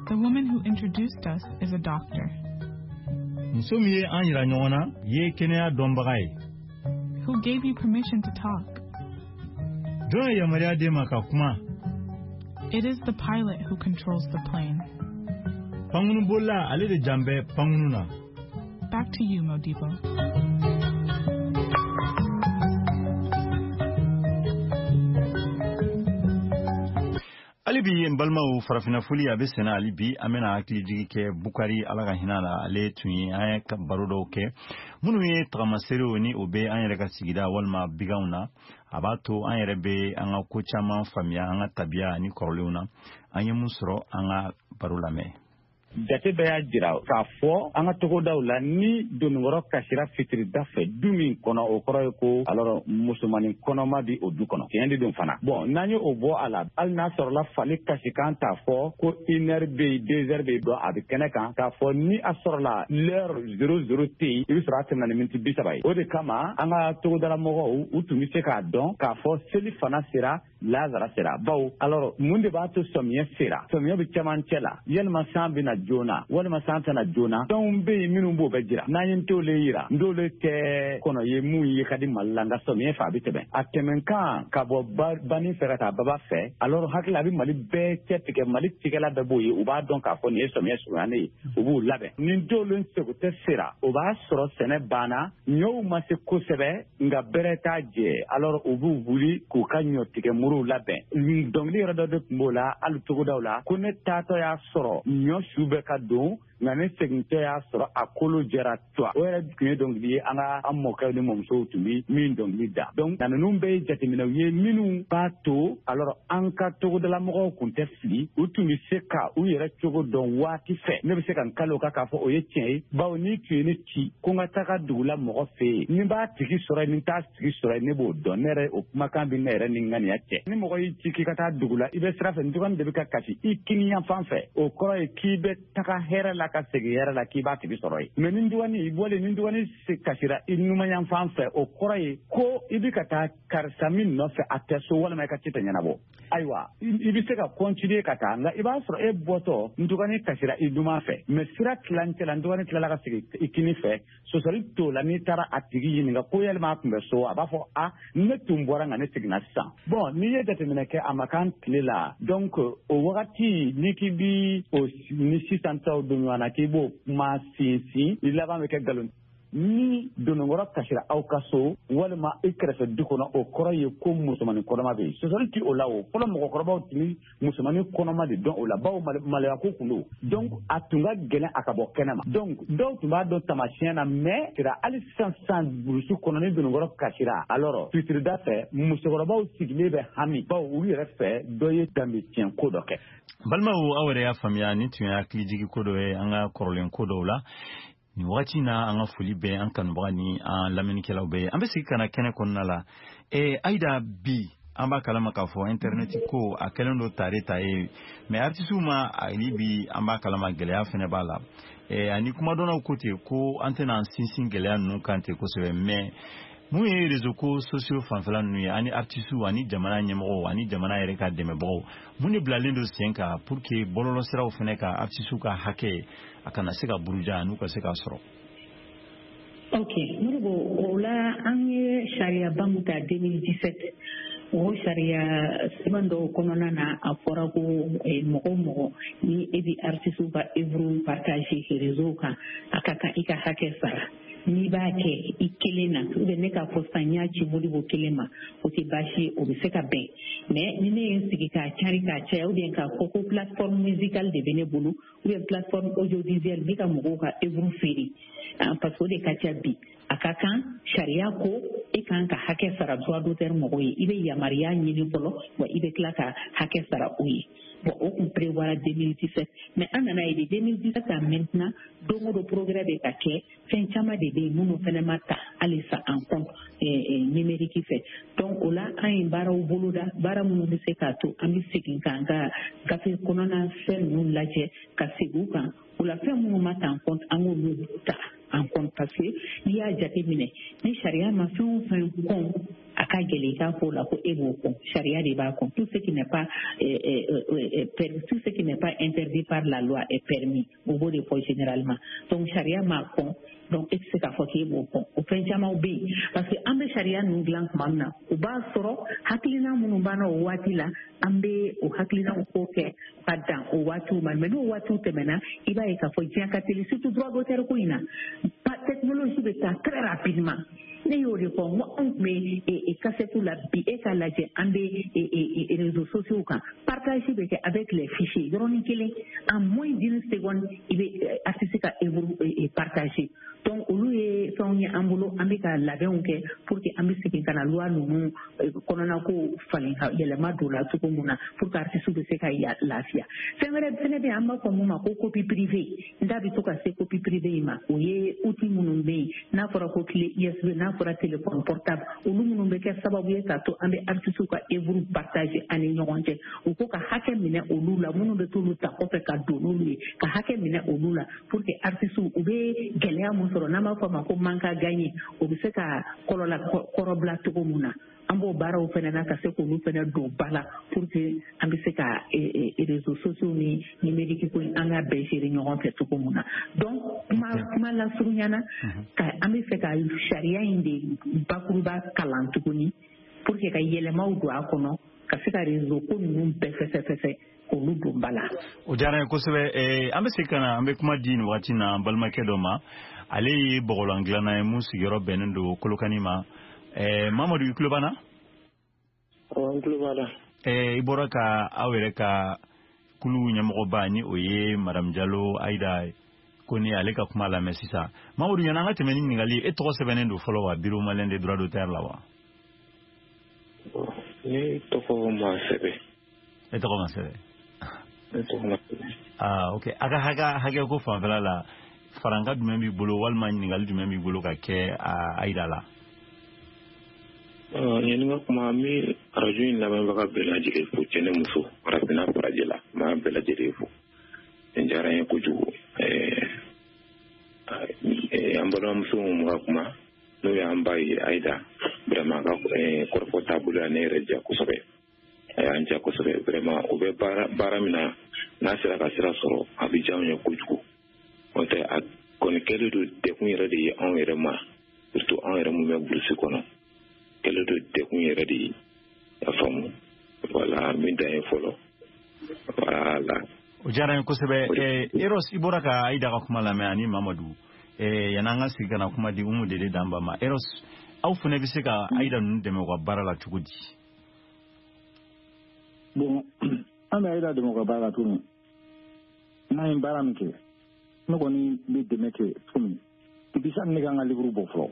The woman who introduced us is a doctor. Muso min ye an yira ɲɔgɔn na ye kɛnɛya dɔnbaga ye. Who gave you permission to talk? Jɔn ye yamaruya d'e ma ka kuma? It is the pilot who controls the plane. Pankurunbolila, ale de jan bɛ pankurun na. Back to you, Modibo. Hali bi n balimaw, farafinna foli a bɛ senna hali bi. An bɛna hakili jigi kɛ Bukari, Ala ka hinɛ la, ale tun ye an ye baro dɔw kɛ minnu ye tagamaserew ni o bɛ an yɛrɛ ka sigida walima biganw na. A b'a to an yɛrɛ bɛ an ka ko caman faamuya an ka tabiya ani kɔrɔlenw na. An ye mun sɔrɔ? An ka baro lamɛn. Jate bɛɛ y'a jira k'a fɔ an ka togodaw la, ni donikɔrɔ kasira fitirida fɛ du min kɔnɔ, o kɔrɔ ye ko alors musomanin kɔnɔma bi o du kɔnɔ. Tiɲɛ de don fana. Bon, n'an ye o bɔ a la, hali n'a sɔrɔla fali kasikan t'a fɔ ko une heure bɛ yen, deux heures bɛ yen, dɔn a bɛ kɛnɛ kan k'a fɔ ni a sɔrɔla l'heure zéro zéro tɛ yen, i bɛ sɔrɔ a tɛmɛna ni miniti bi saba ye. O de kama an ka togodala mɔgɔw, u tun bɛ se k'a dɔn k'a fɔ seli fana sera. lazara sera bawo alors mun de b'a to sɔmiyɛ sera sɔmiyɛ bɛ cɛmancɛ la yalima san bɛ na joona walima san tɛ na joona fɛnw bɛ yen minnu b'o bɛɛ jira n'an ye nt'ole yira nt'ole tɛ kɔnɔ ye mun ye ka di Mali la nka sɔmiyɛ fɛ a bɛ tɛmɛ a tɛmɛnkan ka bɔ banni fɛ ka taa baba fɛ alors hakili a bɛ Mali bɛɛ cɛ tigɛ Mali tigɛla bɛɛ b'o ye u b'a dɔn k'a fɔ nin ye sɔmiyɛ surunyalen ye u b'u labɛn ni nt'ole sego tɛ sera o b'a sɔrɔ sɛnɛ banna ɲɔw ma se kosɛbɛ nka bɛrɛ t'a jɛ alors u b'u wuli k'u ka ɲɔ tigɛ muruw labɛn dɔnkili yɔrɔ dɔ de tun b'o la hali togodaw la ko ne taatɔ y'a sɔrɔ ɲɔ su bɛ ka don nka ne segintɔ y'a sɔrɔ a kolo jɛra tuwa o yɛrɛ tun ye dɔnkili ye an ka an mɔkɛw ni mɔmusow tun bɛ min dɔnkili da donc na ninnu bɛɛ ye jateminɛw ye minnu b'a to alors an ka togodalamɔgɔw tun tɛ fili u tun bɛ se ka u yɛrɛ cogo dɔn waati fɛ ne bɛ se ka n kali o kan k'a fɔ o ye tiɲɛ ye bawo n'i tun ye ne ci ko n ka taga dugu la mɔgɔ fɛ yen ni n b'a tigi sɔrɔ yen ni n t'a tigi sɔrɔ yen ne b'o dɔn ne yɛrɛ o kumakan bɛ ne yɛrɛ ni n ŋaniya cɛ ni mɔgɔ y'i ci k'i ka taa dugu la i bɛ sira fɛ n de bɛ ka kasi i kiniyanfan fɛ o kɔrɔ ye k'i bɛ taga hɛrɛ la ka segin hɛrɛ la k'i b'a tigi sɔrɔ yen mɛ ni dɔgɔnin i bɔlen ni dɔgɔnin kasira i numanyanfan fɛ o kɔrɔ ye ko i bɛ ka taa karisa min nɔfɛ a tɛ so walima i ka ci tɛ ɲɛnabɔ ayiwa i bɛ se ka continuer ka taa nka i b'a sɔrɔ e bɔtɔ n dɔgɔnin kasira i numan fɛ mɛ sira tilancɛ la n dɔgɔnin tilala ka segin i kini fɛ sɔsɔli t'o la n'i taara a tigi ɲininka ko yalima a tun bɛ so a b'a fɔ a ne tun bɔra nka ne seginna sisan bɔn n'i ye jateminɛ kɛ a ma k'an tile la donc o wagati n'i k'i bi o ni sisan taw don ɲɔgɔn na k'i b'o kuma sinsin i laban bɛ kɛ nkalon ni dononkɔrɔ kasira aw ka so walima i kɛrɛfɛ du kɔnɔ o kɔrɔ ye ko musomanin kɔnɔma bɛ yen sɔsɔli ti o la o fɔlɔ mɔgɔkɔrɔbaw tun bɛ musomanin kɔnɔma de dɔn o la bawo maloya ko kun don donc a tun ka gɛlɛn a ka bɔ kɛnɛ ma donc dɔw tun b'a dɔn taamasiyɛn na mais sira hali sisan sisan burusi kɔnɔ ni dononkɔrɔ kasira alors fitirida fɛ musokɔrɔbaw sigilen bɛ hami bawo olu yɛrɛ fɛ dɔ ye danbe tiɲɛ ko dɔ kɛ. Balimaw aw yɛrɛ y'a faamuya nin tun ye hakilijigi ko dɔ ye an ka kɔrɔlen ko dɔw la. Nin wagati na an ka foli bɛ an kanubaga ni an lamɛnnikɛlaw bɛɛ ye an bɛ segin ka na kɛnɛ kɔnɔna la ee Ayida bi an b'a kalama k'a fɔ internet ko a kɛlen don tare ta ye mais artisiw ma ani bi an b'a kalama gɛlɛya fɛnɛ b'a la ee ani kumadɔnnaw ko ten ko an tɛna an sinsin gɛlɛya ninnu kan ten kosɛbɛ mais mun ye réseau ko sociaux fanfɛla ninnu ye ani artisiw ani jamana ɲɛmɔgɔw ani jamana yɛrɛ ka dɛmɛbagaw mun de bilalen don sen kan pour que bɔlɔlɔsiraw fɛnɛ ka artisiw ka hakɛ a kana se ka buruja n'u ka se k'a sɔrɔ. Ok Modibo o la an ye sariyaba min ta deux mille dix-sept o sariya sɛbɛn dɔw kɔnɔna na a fɔra ko mɔgɔ o mɔgɔ ni e bɛ artisiw ka œuvre partager réseau kan a ka kan i ka hakɛ sara. N'i b'a kɛ i kelen na ou bien ne k'a fɔ sisan n y'a ci Modibo kelen ma o tɛ baasi ye o bɛ se ka bɛn mais ni ne ye n sigi k'a cari k'a caya ou bien k'a fɔ ko plateforme musicale de bɛ ne bolo ou bien plateforme audiovisuelle n bɛ ka mɔgɔw ka œuvre feere parce que o de ka ca bi a ka kan sariya ko e kan ka hakɛ sara droit d'auteur mɔgɔw ye i bɛ yamaruya ɲini fɔlɔ wa i bɛ tila ka hakɛ sara o ye. Bon, o kun prévoira deux mille dix-sept mais an nana ye de deux mille dix-sept à maintenant don o don progrès bɛ ka kɛ fɛn caman de bɛ yen minnu fɛnɛ ma ta halisa en compte numérique fɛ donc o la an ye baaraw boloda baara minnu bɛ se k'a to an bɛ segin k'an ka gafe kɔnɔna fɛn ninnu lajɛ ka segin u kan o la fɛn minnu ma ta en compte an k'olu ta en compte parce que n'i y'a jateminɛ ni sariya ma fɛn o fɛn kɔn a ka gɛlɛn i k'a fɔ o la ko e b'o kɔn sariya de b'a kɔn tout ce qui n'est pas euh, euh, euh, tout ce qui n'est pas interdit par la loi est permis o b'o de fɔ généralement donc sariya m'a kɔn donc e tɛ se k'a fɔ k'e b'o kɔn o fɛn camanw bɛ yen parce que an bɛ sariya ninnu dilan tuma min na o b'a sɔrɔ hakilina minnu b'an na o waati la an bɛ o hakilinaw ko kɛ ka dan o waatiw ma mais n'o waatiw tɛmɛna i b'a ye k'a fɔ diɲɛ ka teli surtout droit d'auteur ko in na technologie bɛ taa très rapidement. Ne y'o de fɔ n ko anw tun bɛ kasɛtu la bi e k'a lajɛ an bɛ réseaux sociaux kan partage bɛ kɛ avec les fichiers yɔrɔnin kelen en moins d'une seconde i bɛ artiste ka œuvre partager donc olu ye fɛnw ye an bolo an bɛ ka labɛnw kɛ pour que an bɛ segin ka na loi ninnu kɔnɔna ko falen ka yɛlɛma don la cogo mun na pour que artiste bɛ se ka lafiya fɛn wɛrɛ fɛnɛ bɛ yen an b'a fɔ mun ma ko copie privée n da bɛ to ka se copie privée in ma o ye outil minnu bɛ yen n'a fɔra ko clé U S B n'a fɔra téléphone portable olu minnu bɛ kɛ sababu ye k'a to an bɛ artiste ka œuvre partager an ni ɲɔgɔn cɛ u ko ka hakɛ minɛ olu la minnu bɛ t'olu ta kɔfɛ ka don n'olu ye ka hakɛ minɛ olu la pour que artiste u bɛ gɛlɛya mun sɔrɔ n'an b'a fɔ a ma ko manque à gagner o bɛ se ka kɔlɔlɔ kɔrɔbila cogo mun na An b'o baaraw fana na ka se k'olu fana don ba la pour que an bɛ se ka réseaux sociaux ni numérique ko an ka bɛɛ gérer ɲɔgɔn fɛ cogo mun na. Donc kuma kuma lasurunya na, ka an bɛ fɛ ka sariya in de bakuruba kalan tuguni pour que ka yɛlɛmaw don a kɔnɔ, ka se ka réseau ko ninnu bɛɛ fɛsɛfɛsɛ k'olu don ba la. O diyara n ye kosɛbɛ. An bɛ se ka na, an bɛ kuma di nin waati na an balimakɛ dɔ ma. Ale ye bɔgɔlan dilanna ye mun sigiyɔrɔ bɛnnen don Kolokani ma. Mamadu, i tulo b'an na? Awɔ, n tulo b'a la. I bɔra ka aw yɛrɛ ka kulu ɲɛmɔgɔba ni o ye Madame Jalo Ayida ko ni ale ka kuma lamɛn sisan. Mamadu, yan'an ka tɛmɛ ni ɲininkali, e tɔgɔ sɛbɛnnen don fɔlɔ wa Bureau malien des droits d'auteur la wa? Ne tɔgɔ ma sɛbɛn. E tɔgɔ ma sɛbɛn? Ne tɔgɔ ma sɛbɛn. Ah, ok. A ka hakɛ hakɛ ko fanfɛla la, faranka jumɛn b'i bolo walima ɲininkali jumɛn b'i bolo ka kɛ Ayida la? Yanni n ka kuma, n bɛ arajo in lamɛnbaga bɛɛ lajɛlen fo, cɛ ni muso, farafinna farajɛ la, n b'a bɛɛ lajɛlen fo. Nin diyara n ye kojugu. An balimamuso min ka kuma, n'o y'an ba ye Ayida, vraiment a ka kɔrɔfɔ taabolo ya ne yɛrɛ diya kosɛbɛ. A y'an diya kosɛbɛ vraiment. O bɛ baara baara min na, n'a sera ka sira sɔrɔ, a bɛ diya anw ye kojugu. N'o tɛ, a kɔni kɛlen don degun yɛrɛ de ye anw yɛrɛ ma, surtout anw yɛrɛ mun bɛ burusi kɔnɔ. Kɛlen don degun yɛrɛ de ye, y'a faamu. Voilà, min dan ye fɔlɔ. Voilà. O diyara n ye kosɛbɛ. Eros, i bɔra ka Ayida ka kuma lamɛn ani Mamadu. Yan'an ka sigi ka na kuma di Umu Dede Danba ma, Eros, aw fana bɛ se ka Ayida ninnu dɛmɛ u ka baara la cogo di? Bon, an bɛ Ayida dɛmɛ u ka baara la cogo min, n'an ye baara min kɛ, ne kɔni bɛ dɛmɛ kɛ cogo min, depuis sani ne ka n ka livre bɔ fɔlɔ,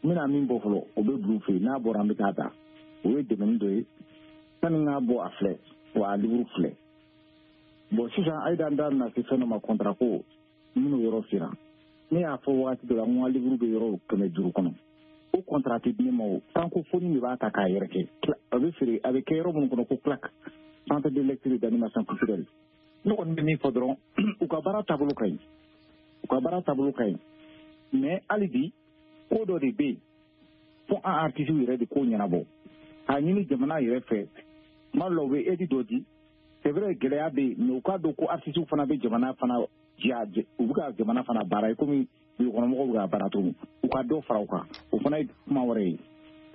n bɛna min bɔ fɔlɔ, o bɛ bila u fɛ yen, n'a bɔra an bɛ taa ta. O ye dɛmɛni dɔ ye. Sani n k'a bɔ a filɛ, wa a livre filɛ. Bon, sisan Ayida da bɛna se fɛn dɔ ma, contrat ko, n bɛn'o yɔrɔ fira. Ne y'a fɔ wagati dɔ la, n ko n ka livre bɛ yɔrɔ kɛmɛ duuru kɔnɔ. O contrat tɛ di ne ma o. Francophonie de b'a ta k'a yɛrɛ kɛ. A bɛ feere, a bɛ kɛ yɔrɔ minnu kɔnɔ ko CLAC, Centre de lecture et d'animation culturelle. Ne kɔni bɛ min fɔ dɔrɔn, u ka baara taabolo ka ɲi. U ka baara taabolo ka ɲi. Mais hali bi, ko dɔ de bɛ yen fo an artistes yɛrɛ de k'o ɲɛnabɔ. K'a ɲini jamana yɛrɛ fɛ, tuma dɔ la u bɛ aide dɔ di. C'est vrai, gɛlɛya bɛ yen, mais u k'a dɔn ko artistes fana bɛ jamana fana diya, u bɛ ka jamana fana baara komi dugukɔnɔmɔgɔw bɛ ka baara cogo min. U ka dɔ fara u kan, o fana ye kuma wɛrɛ ye.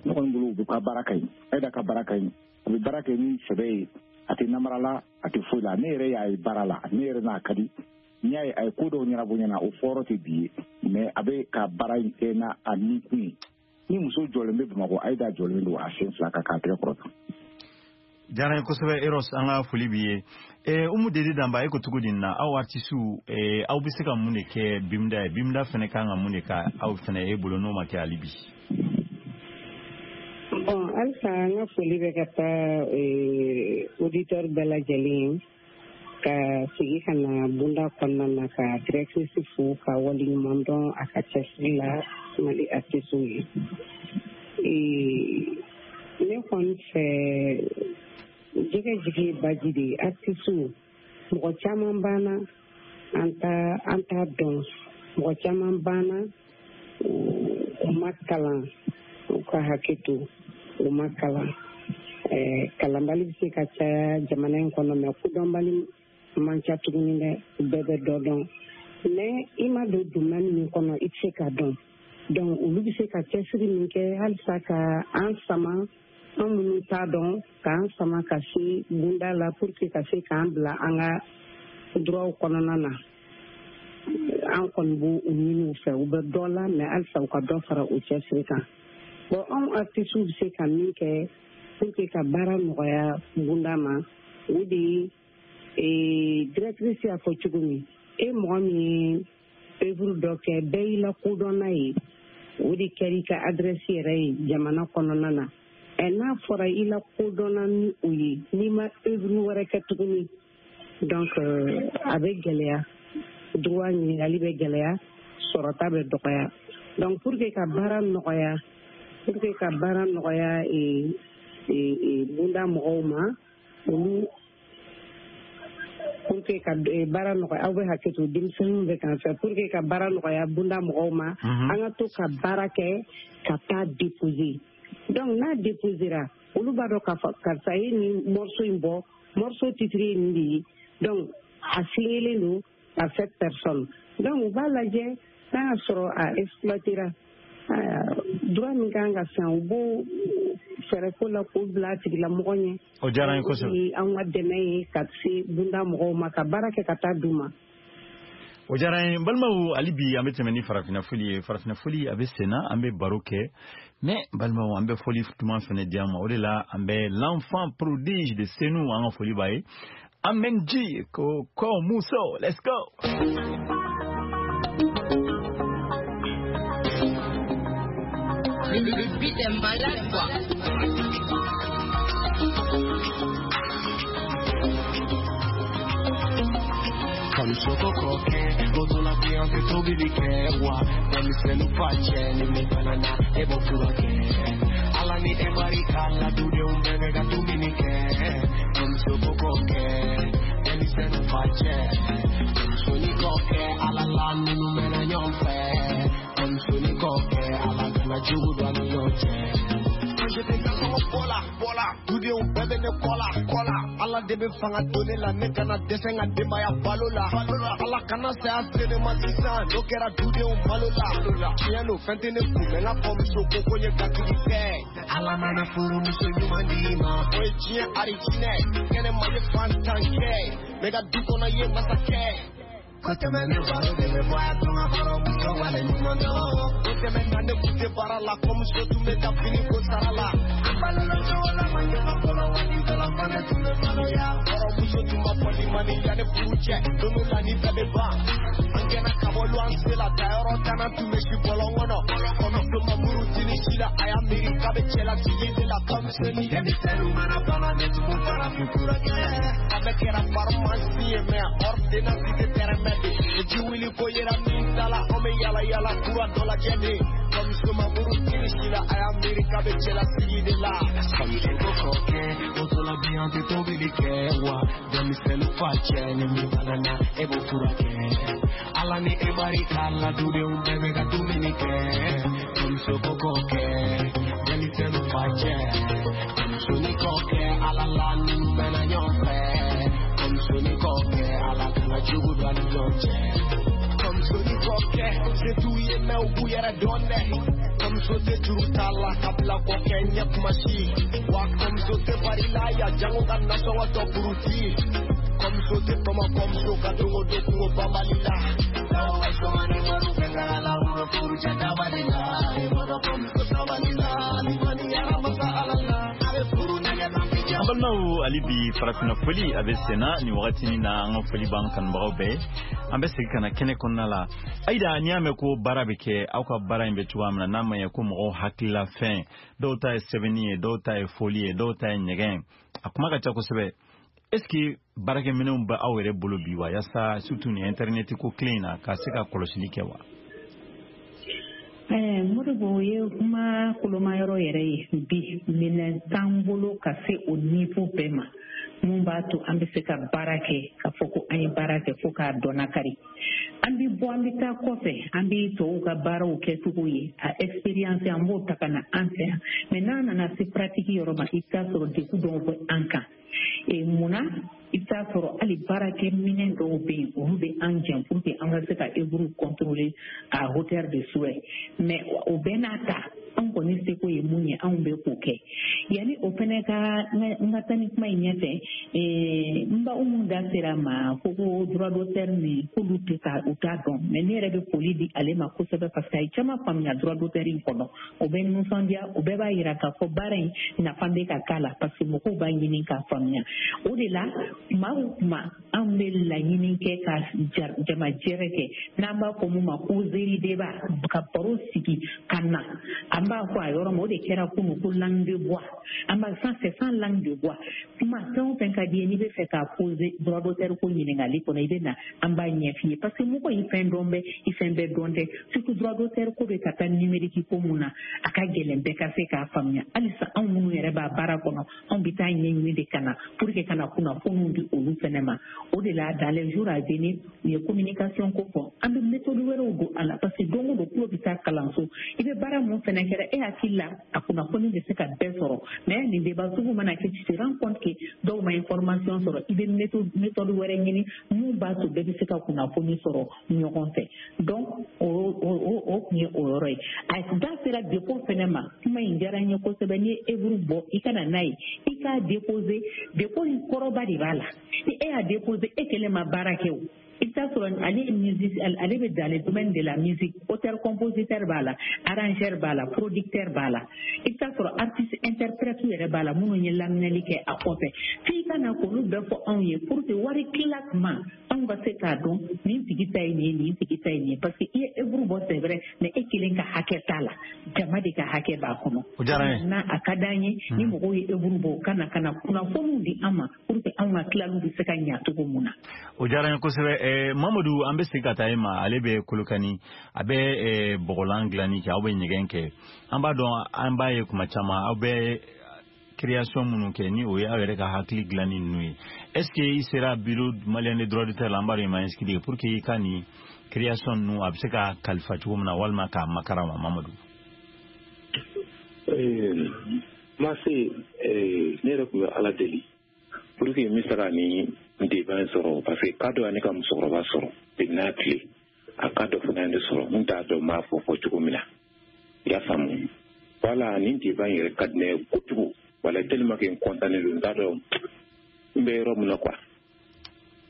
Ne kɔni bolo, u bɛ ka baara ka ɲi. Ayida ka baara ka ɲi. A bɛ baara kɛ ni sɛbɛ ye, a tɛ namara la, a tɛ foyi la. Ne yɛrɛ y'a ye baara la, ne yɛrɛ n'a ka di. N'i y'a ye a ye ko dɔw ɲɛnabɔ ɲɛna, o fɔyɔrɔ tɛ bi ye, mais a bɛ ka baara in kɛ n'a a ni kun ye. Ni muso jɔlen bɛ Bamakɔ, Ayida jɔlen don a sen fila kan k'a tɛgɛ kɔrɔta. Diyara n ye kosɛbɛ Eros, an ka foli b'i ye. Umu Dede Danba, e ko cogo di nin na, aw artistes, aw bɛ se ka mun de kɛ BIMDA ye? BIMDA fana kan ka mun de kɛ aw fana e bolo n'o ma kɛ hali bi? Bon, halisa n ka foli bɛ ka taa auditeur bɛɛ lajɛlen ye, ka segin ka na bonda kɔnɔna na, ka directrice fo ka waleɲuman dɔn a ka cɛsiri la Mali artistes ye. Ne kɔni fɛ, jɛgɛ jigi ye baji de ye. Artistes, mɔgɔ caman banna an t'a an t'a dɔn, mɔgɔ caman banna u ma kalan, u ka hakɛ to, u ma kalan. Kalanbali bɛ se ka caya jamana in kɔnɔ, mais kodɔnbali man ca tuguni dɛ, bɛɛ bɛ dɔ dɔn. Mais i ma don domaine min kɔnɔ, i tɛ se ka dɔn. Donc olu bɛ se ka cɛsiri min kɛ halisa ka an sama, an minnu t'a dɔn, k'an sama ka se bunda la pour que ka se k'an bila an ka droit kɔnɔna na. An kɔni b'o ɲini u fɛ, u bɛ dɔ la, mais halisa u ka dɔ fara o cɛsiri kan. Bon, anw artistes bɛ se ka min kɛ pour que ka baara nɔgɔya bunda ma, o de ye directrice y'a fɔ cogo min, e mɔgɔ min ye œuvre dɔ kɛ, bɛɛ y'i lakodɔn n'a ye, o de kɛra i ka adresse yɛrɛ ye jamana kɔnɔna na. Ɛ n'a fɔra i lakodɔnna ni o ye, n'i ma œuvre wɛrɛ kɛ tuguni, donc a bɛ gɛlɛya, droit ɲininkali bɛ gɛlɛya, sɔrɔta bɛ dɔgɔya. Donc pour que ka baara nɔgɔya, pour que ka baara nɔgɔya bunda mɔgɔw ma, olu pour que ka baara nɔgɔya, aw bɛ hakɛ to, denmisɛnninw bɛ k'an fɛ, pour que ka baara nɔgɔya bunda mɔgɔw ma, an ka to ka baara kɛ ka taa déposer. Donc n'a déposera, olu b'a dɔn k'a fɔ karisa ye nin morceau in bɔ, morceau titre ye nin de ye. Donc a signelen don à cette personne. Donc u b'a lajɛ n'a y'a sɔrɔ a exploitera, droit min kan ka san, u b'o fɛɛrɛ ko la k'o bila a tigilamɔgɔ ɲɛ. O diyara n ye kosɛbɛ. An ka dɛmɛ ye ka se bunda mɔgɔw ma, ka baara kɛ ka taa d'u ma. O diyara n ye. N balimaw, hali bi an bɛ tɛmɛ ni farafinna foli ye. Farafinna foli a bɛ sen na, an bɛ baro kɛ, mais balimaw, an bɛ foli duman fɛnɛ di an ma. O de la an bɛ l'enfant prodige de Senu, an ka foli b'a ye. Amen G ko ko Muso, let's go. Le, le beat est malade quoi. Kɔmuso kɔkɛ motola bi an tɛ tobili kɛ wa denmisɛnnin fa cɛ ni min fana na e b'o furakɛ ala ni e barika la dudenw bɛɛ bɛ ka dumuni kɛ kɔmuso kɔkɛ denmisɛnnin fa cɛ kɔmuso ni kɔkɛ ala la ninnu mɛnna ɲɔgɔn fɛ kɔmuso ni kɔkɛ ala kana jugu don an ni ɲɔgɔn cɛ. J'étais garçon bɔla bɔla dudenw bɛɛ bɛ ne kɔ la kɔ la ala de bɛ fanga don ne la ne kana dɛsɛ n ka denbaya balo la ala kana saya se ne ma sisan n'o kɛra dudenw malo la tiɲɛ don fɛn tɛ ne kun mɛ n ka kɔmuso ko ko n ye gatigi kɛ ala mana furumuso ɲuman d'i ma o ye diɲɛ arijinɛ kɛnɛma ye fantan kɛ ne ka du kɔnɔ ye masakɛ. Ko tɛmɛnen baro de bɛ bɔ a tun ka kɔrɔmuso wale ɲuman dɔn o tɛmɛna ne kun tɛ baara la kɔmuso tun bɛ taa fini ko sara la an balola cogo la ma ɲɛ fɔlɔ waati dɔ la fɔ ne tun bɛ maloya kɔrɔmuso tun ma fɔ ni ma ni yanni furu cɛ don dɔ la ni bɛɛ bɛ ban an gɛnna ka bɔ luwanse la tayɔrɔ tanna tun bɛ si bɔlɔn kɔnɔ kɔmuso ma muru tini si la a y'a miiri k'a bɛ cɛlasigi de la kɔmuso ni denmisɛnninw mana bana ne tun b'u farafin fura kɛ a bɛ kɛra farimasi ye mɛ ordonnance tɛ tɛrɛmɛ ji wuli ko yera min da la an bɛ yala yala kura dɔ lajɛ de kɔmuso ma muru tini si la a y'a miiri k'a bɛ cɛlasigi de la. Kɔmuso ko kɔkɛ motola bi an tɛ tobili kɛ wa denmisɛnnin fa cɛ ni min fana na e b'o furakɛ ala ni e barika la dudenw bɛɛ bɛ ka dumuni kɛ kɔmuso ko kɔkɛ denmisɛnnin fa cɛ kɔmuso ni kɔkɛ ala la ninnu mɛnna ɲɔgɔn fɛ kɔmuso ni kɔkɛ ala kana jugu don an ni ɲɔgɔn cɛ. Kɔmuso ni kɔkɛ se t'u ye mɛ u b'u yɛrɛ dɔn dɛ kɔmuso tɛ juru t'a la ka bila kɔkɛ ɲɛ kuma si wa kɔmuso tɛ bari la ya jango ka nasɔngɔ tɔ buruti kɔmuso tɛ tɔmɔ kɔmuso ka don o don kungo banbali la. N'aw bɛ sɔn ni wariw bɛ taga la u bɛ furu cɛ dabali la i b'a dɔn kɔmuso sabali la ni kɔni yɛrɛ masa ala la a bɛ furu nɛgɛ tan bi jɛ. An balimaw, hali bi farafinna foli a bɛ senna nin wagati in na, an ka foli b'an kanubagaw bɛɛ. An bɛ segin ka na kɛnɛ kɔnɔna la. Ayida, n'i y'a mɛn ko baara bɛ kɛ, aw ka baara in bɛ cogoya min na, n'a ma ɲɛ ko mɔgɔw hakilila fɛn, dɔw ta ye sɛbɛnni ye, dɔw ta ye foli ye, dɔw ta ye ɲɛgɛn, a kuma ka ca kosɛbɛ. Est-ce que baarakɛminɛnw bɛ aw yɛrɛ bolo bi wa, yaasa surtout nin internet ko kelen in na, ka se ka kɔlɔsili kɛ wa? Modibo ye kuma kolomayɔrɔ yɛrɛ ye bi, minɛn t'an bolo ka se o niveau bɛɛ ma mun b'a to an bɛ se ka baara kɛ k'a fɔ ko an ye baara kɛ fo k'a dɔnnakari. An bɛ bɔ, an bɛ taa kɔfɛ, an bɛ tɔw ka baaraw kɛcogo ye, a expérience an b'o ta ka na an fɛ yan, mais n'a nana se pratique yɔrɔ ma, i bɛ taa sɔrɔ degun dɔw bɛ an kan. E munna i bɛ taa sɔrɔ hali baarakɛminɛn dɔw bɛ yen, olu bɛ an jɛn pour que an ka se ka œuvre contrôler à hauteur de souhait, mais o bɛɛ n'a ta an kɔni seko ye mun ye, anw bɛ k'o kɛ. Yanni o fɛnɛ ka n ka taa ni kuma in ɲɛfɛ, n ba Umu da sera ma ko ko droit d'auteur nin k'olu tɛ ka u t'a dɔn, mais ne yɛrɛ bɛ foli di ale ma kosɛbɛ parce que a ye caman faamuya droit d'auteur in kɔnɔ. O bɛ nisɔndiya, o bɛɛ b'a yira k'a fɔ baara in nafa bɛ ka k'a la parce que mɔgɔw b'a ɲini k'a faamuya. O de la kuma o kuma anw bɛ laɲini kɛ ka jamajɛrɛ kɛ, n'an b'a fɔ mun ma causerie débat, ka baro sigi ka na, an b'a fɔ a yɔrɔ ma, o de kɛra kunun ko langue de bois. An b'a sans c'est sans langue de bois. Kuma fɛn o fɛn ka di ye, n'i bɛ fɛ k'a poser droit d'auteur ko ɲininkali kɔnɔ, i bɛ na an b'a ɲɛf'i ye, parce que mɔgɔ i fɛn dɔn bɛ i fɛn bɛɛ dɔn tɛ, surtout droit d'auteur ko bɛ ka taa numérique ko mun na, a ka gɛlɛn bɛɛ ka se k'a faamuya. Halisa anw minnu yɛrɛ b'a baara kɔnɔ, anw bɛ taa ɲɛɲini de ka na pour que ka na kunnafoniw di olu fɛnɛ ma. O de la dans les jours à venir, u ye communication ko fɔ, an bɛ méthode wɛrɛw don a la, parce que don o don tulo bɛ taa kalanso, i bɛ baara mun fɛnɛ kɛra e hakili la, a kunnafoni bɛ se ka bɛɛ sɔrɔ, mais nin débat sugu mana kɛ, tu te rends compte que dɔw ma information sɔrɔ, i bɛ méthode méthode wɛrɛ ɲini mun b'a to bɛɛ bɛ se ka kunnafoni sɔrɔ ɲɔgɔn fɛ. Donc o o o tun ye o yɔrɔ ye. A da sera dépôt fɛnɛ ma, kuma in diyara n ye kosɛbɛ. N'i ye œuvre bɔ, i ka na n'a ye, i k'a déposer. Dépôt in kɔrɔba de b'a la, ni e y'a déposer, e kelen ma baara kɛ o. I bɛ taa sɔrɔ ale ye musique, ale bɛ dans le domaine de la musique, auteur compositeur b'a la, arrangeur b'a la, producteur b'a la, i bɛ taa sɔrɔ artiste interprète yɛrɛ b'a la minnu ye laminɛli kɛ a kɔfɛ. F'i ka na k'olu bɛɛ fɔ anw ye pour que wari tila tuma anw ka se k'a dɔn nin tigi ta ye nin ye, nin tigi ta ye nin ye, parce que i ye œuvre bɔ, c'est vrai, mais e kelen ka hakɛ t'a la, jama de ka hakɛ b'a kɔnɔ. O diyara n ye. N'a a ka d'an ye ni mɔgɔw ye œuvre bɔ, u ka na ka na kunnafoniw di an ma pour que anw ka tilaliw bɛ se ka ɲa cogo mun na. O diyara n ye kosɛbɛ. Eh, Mamadu, an bɛ segin ka taa e ma. Ale bɛ Kolokani, a bɛ eh, bɔgɔlan dilanni kɛ, aw bɛ ɲɛgɛn kɛ. An b'a dɔn, an b'a ye kuma caman aw bɛ création minnu kɛ, ni o ye aw yɛrɛ ka hakili dilanni ninnu ye. Est ce que i sera bureau malien de droit d'auteur la, an b'a dɔn i ma inscrit, pour que i ka nin création ninnu a bɛ se ka kalifa cogo min na, walima k'a makara ma, Mamadu? Ma se, ne yɛrɛ tun bɛ Ala deli pour que n bɛ se ka nin débat in sɔrɔ, parce que cas dɔ ye ne ka musokɔrɔba sɔrɔ depuis n'a tile, a cas dɔ fana ye ne sɔrɔ, n t'a dɔn n b'a fɔ fɔ cogo min na, i y'a faamu. Voilà, nin débat in yɛrɛ ka di ne ye kojugu, wala tellement que n content don, n t'a dɔn n bɛ yɔrɔ min na quoi,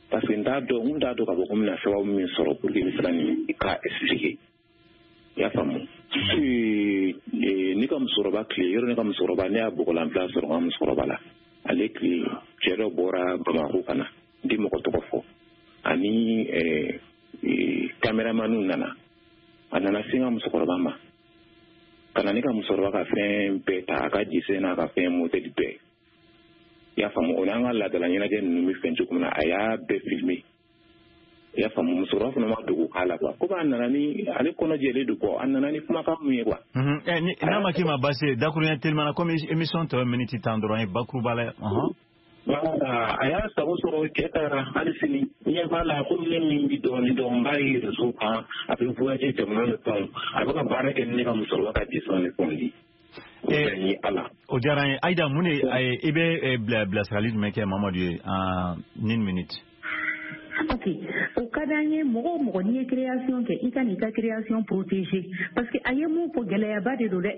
parce que n t'a dɔn n t'a dɔn k'a fɔ ko n bɛna sababu min sɔrɔ pour que n bɛ se ka nin cas expliquer, i y'a faamu. Ne ka musokɔrɔba tile, yɔrɔ ne ka musokɔrɔba, ne y'a bɔgɔlanbila sɔrɔ n ka musokɔrɔba la. Ale tile cɛ dɔ bɔra Bamakɔ ka na, n tɛ mɔgɔ tɔgɔ fɔ, ani caméramanw nana, a nana se n ka musokɔrɔba ma, ka na ne ka musokɔrɔba ka fɛn bɛɛ ta, a ka jise n'a ka fɛn motɛli bɛɛ, i y'a faamu. O n'an ka laadala ɲɛnajɛ ninnu bɛ fɛn cogo min na, a y'a bɛɛ filmer, i y'a faamu. Musokɔrɔba fana ma dogo k'a la quoi, komi a nana ni ale kɔnɔ jɛlen don quoi, a nana ni kumakan mun ye quoi. N'a ma k'i ma baasi ye, dakuruɲɛ telimana, komi émission tɔ ye miniti tan dɔrɔn ye, bakuruba la. Voilà, a y'a sago sɔrɔ, cɛ taara. Hali sini ɲɛ b'a la, komi ne min bi dɔɔnin dɔn, n b'a ye réseau kan, a bɛ voyager jamana ni fɛnw, a bɛ ka baara kɛ ni ne ka musokɔrɔba ka dessin ni fɛnw di. O Ala. O diyara n ye. Aïda, mun de i bɛ bila bilasirali jumɛn kɛ Mamadu ye en une minute? Ok, o ka d'an ye. Mɔgɔ o mɔgɔ n'i ye création kɛ, i ka n'i ka création protéger, parce que a ye mun fɔ, gɛlɛyaba de don dɛ.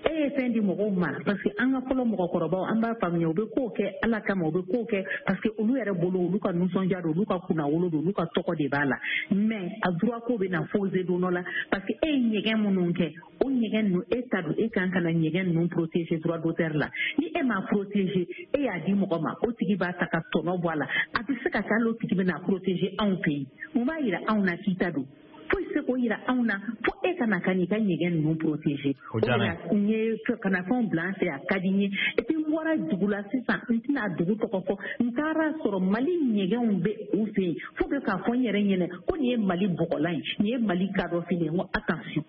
E ye fɛn di mɔgɔw ma, parce que an ka fɔlɔ mɔgɔkɔrɔbaw, an b'a faamuya, u bɛ kow kɛ Ala kama, u bɛ kow kɛ parce que olu yɛrɛ bolo, olu ka nisɔndiya don, olu ka kunnawolo don, olu ka tɔgɔ de b'a la. Mais a droit ko bɛ na poser don dɔ la, parce que e ye ɲɛgɛn minnu kɛ, o ɲɛgɛn ninnu e ta don, e kan ka na ɲɛgɛn ninnu protéger droit d'auteur la. Ni e m'a protéger, e y'a di mɔgɔ ma, o tigi b'a ta ka tɔnɔ bɔ a la, a bɛ se ka kɛ hali o tigi bɛ na protéger anw fɛ yen. Mun b'a yira anw na k'i ta don? Foyi tɛ se k'o yira anw na fo e ka na ka n'i ka ɲɛgɛn ninnu protéger. O de la n ye ka na fɛnw bila an fɛ, a ka di n ye. Et puis n bɔra dugu la sisan, n tɛna dugu tɔgɔ fɔ, n taara sɔrɔ Mali ɲɛgɛnw bɛ u fɛ yen, fo bɛ k'a fɔ n yɛrɛ ɲɛna ko nin ye Mali bɔgɔlan ye, nin ye Mali kadɔfini ye. N ko attention,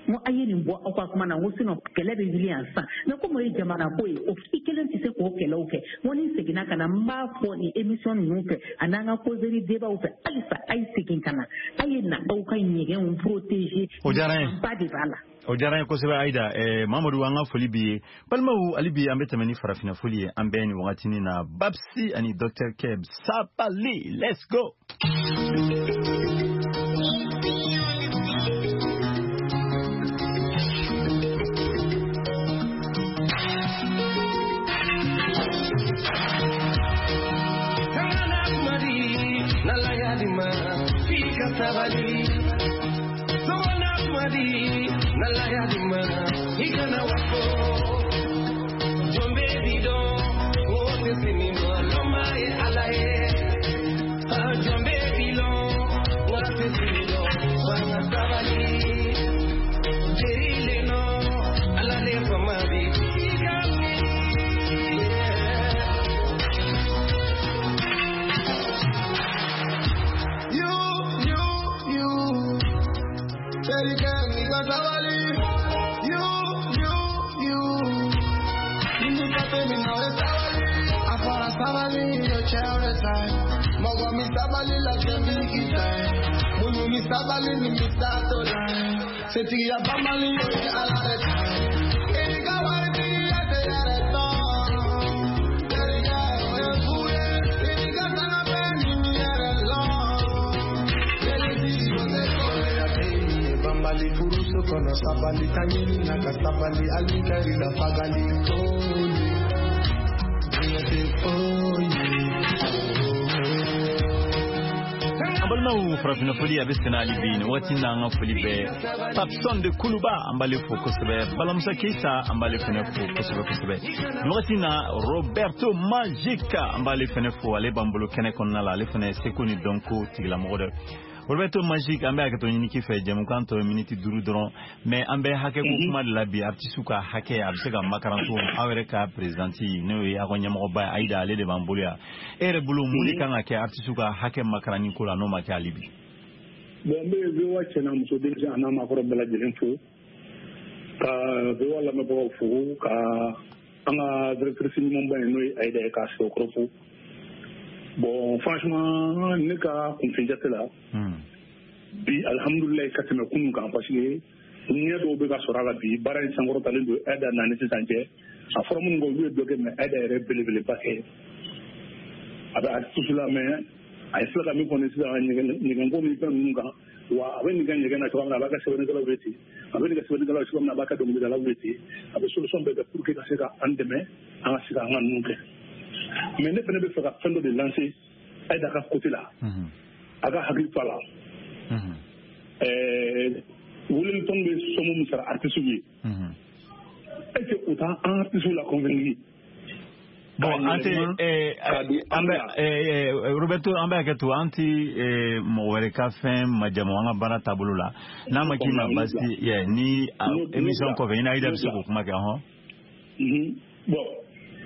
n ko a ye nin bɔ aw ka kuma na, n ko sinon kɛlɛ bɛ wuli yan sisan. Mais komi o ye jamana ko ye, o i kelen tɛ se k'o kɛlɛw kɛ. N ko ni n seginna ka na, n b'a fɔ nin émission ninnu fɛ ani an ka causerie débat fɛ, halisa a ye segin ka na, a ye na aw ka ɲɛgɛnw protéger. O diyara n ye. Ba de b'a la. O diyara n ye kosɛbɛ Aïda. Eh, Mamadu, an ka foli b'i ye. Balimaw, hali bi an bɛ tɛmɛ ni farafinna foli ye. An bɛɛ nin wagatinin na, Babsi ani Docteur Keb, Sabali, let's go. Sabali, sona madi, nalaya dima, ikana wako, jombe dido, wote sinima, loma e alaye, jombe dilo, wote sinilo, wana sabali, jerile no, alale famadi, ikami. sabali la cɛ b'i k'i ta ye muɲu ni sabali ni bɛ taa to la setigiya banbali o ye Ala de ta ye i ka waritigiya tɛ yɛrɛ dɔn terikɛ o ye fu ye i ka sanga bɛɛ ni yɛrɛ lɔn jelisi o tɛ kɔrɔya tɛ ye banbali furuso kɔnɔ sabali ta ɲini na ka sabali hali kɛr'i la fagali koli diɲɛ tɛ foyi ye. An balimaw, farafinna foli a bɛ senna hali bi. Nin waati in na, an ka foli bɛ Papson de Kuluba, an b'ale fo kosɛbɛ. Balamusa Keita, an b'ale fɛnɛ fo kosɛbɛ kosɛbɛ. Nin waati in na, Roberto Magica, an b'ale fɛnɛ fo. Ale b'an bolo kɛnɛ kɔnɔna la, ale fɛnɛ seko ni dɔnko tigilamɔgɔ dɛ. Roberto Magic, an bɛ hakɛto ɲini k'i fɛ, jɛmukan tɔ ye miniti duuru dɔrɔn, mais an bɛ hakɛ ko kuma de la bi. Artiste ka hakɛ a bɛ se ka makaran cogo min? Aw yɛrɛ ka présidente, n'o ye aw ka ɲɛmɔgɔba ye, Ayida, ale de b'an bolo yan. E yɛrɛ bolo, mun de kan ka kɛ artiste ka hakɛ makaranni ko la, n'o ma kɛ hali bi? Bon, n bɛ V O A cɛ n'a muso, denmisɛn a n'a maakɔrɔ bɛɛ lajɛlen fo, ka V O A lamɛnbagaw fo, ka an ka directrice ɲumanba ye, n'o ye Ayida ye, k'a sɛbɛkɔrɔ fo. Bon, franchement, ne ka kunfin jate la bi, alihamudulilayi ka tɛmɛ kunun kan, parce que ɲɛ dɔw bɛ ka sɔrɔ a la bi. Baara in sankɔrɔtalen don Ayida na ni sisan cɛ. A fɔra minnu kɔ, olu ye dɔ kɛ, mais Ayida yɛrɛ belebeleba kɛ. A bɛ artiste la, mais a ye filɛ ka min fɔ ni sisan, ɲɛgɛnko ni fɛn ninnu kan wa, a bɛ nin kɛ ɲɛgɛn na cogoya min na, a b'a ka sɛbɛnnikɛlaw ye ten, a bɛ nin kɛ sɛbɛnnikɛlaw ye cogoya min na, a b'a ka dɔnkilidalaw ye ten. A bɛ solution bɛɛ kɛ pour que ka se ka an dɛmɛ, an ka se ka an ka ninnu kɛ. Mais ne fana bɛ fɛ ka fɛn dɔ de lancer Ayida ka côté la, a ka hakili to a la. Ɛɛ weleli tɔn bɛ somme min sara artistes ye, est ce que u t'an artistes la convaincre? Bon, an tɛ an bɛ Roberto, an bɛ hakɛ to, an ti mɔgɔ wɛrɛ ka fɛn majamu an ka baara taabolo la. N'a ma k'i ma basi ye, ni émission kɔfɛ, i ni Ayida bɛ se k'o kuma kɛ hɔn. Bon,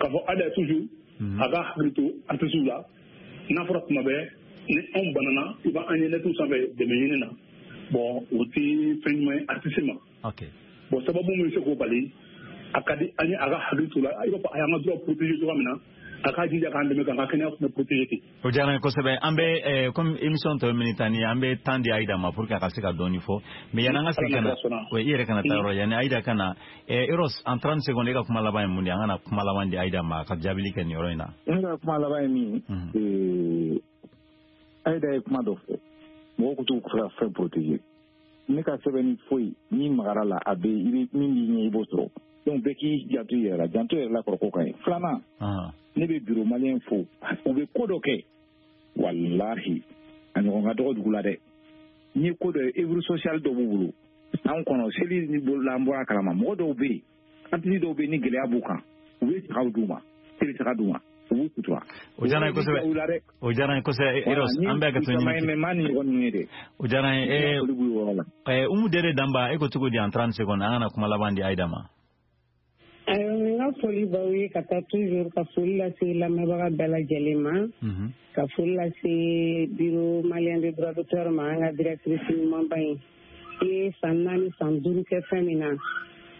k'a fɔ Ayida toujours a ka hakili to artistes la. N'a fɔra tuma bɛɛ ni anw banana, i b'an ye nɛtiw sanfɛ dɛmɛ ɲini na, bon, o tɛ fɛn ɲuman ye artiste ma. Bon, sababu min bɛ se k'o bali, a ka di an ye a ka hakili to la. I b'a fɔ a y'an ka droit protéger cogoya min na, a k'a jija k'an dɛmɛ k'an ka kɛnɛya fana protéger ten. O diyara n ye kosɛbɛ. An bɛ, comme émission tɔ ye minute tan ye, an bɛ temps di Ayida ma pour que a ka se ka dɔɔni fɔ. Mais yanni an ka segin ka na, i yɛrɛ kana taa yɔrɔ, yanni Ayida ka na, Eros, en trente secondes, e ka kuma laban ye mun de ye? An ka na kuma laban di Ayida ma a ka jaabili kɛ nin yɔrɔ in na. Ne ka kuma laban ye min ye, Ayida ye kuma dɔ fɔ, mɔgɔw ko t'u ka fɛn protéger. Ne ka sɛbɛnni foyi n'i magara la, a bɛ i bɛ min b'i ɲɛ, i b'o sɔrɔ. Donc bɛɛ k'i janto i yɛrɛ la, janto yɛrɛ la kɔrɔ ko ka ɲi. Filanan, ne bɛ bureau malien fo, u bɛ ko dɔ kɛ, walahi a ɲɔgɔn ka dɔgɔ dugu la dɛ. N'i ye ko dɔ ye, œuvre sociale dɔ b'u bolo san kɔnɔ, seli ni bolola, an bɔra a kalama, mɔgɔ dɔw bɛ yen, artiste dɔw bɛ yen, ni gɛlɛya b'u kan, u bɛ sagaw d'u ma, seli saga d'u ma, u b'u sutura. O diyara n ye kosɛbɛ, o diyara n ye kosɛbɛ, Eros. An bɛ hakɛto ɲini. Mais maa ni ɲɔgɔn ninnu ye dɛ. O diyara n ye. Ɛɛ Umu Dere Danba, e ko cogo di en trente secondes? An kana kuma laban di Ayida ma. Ayiwa, n ka foli b'aw ye ka taa toujours, ka foli lase lamɛnbaga bɛɛ lajɛlen ma, ka foli lase bureau malien de droit d'auteur ma, an ka directrice ɲumanba in. I ye san naani, san duuru kɛ fɛn min na,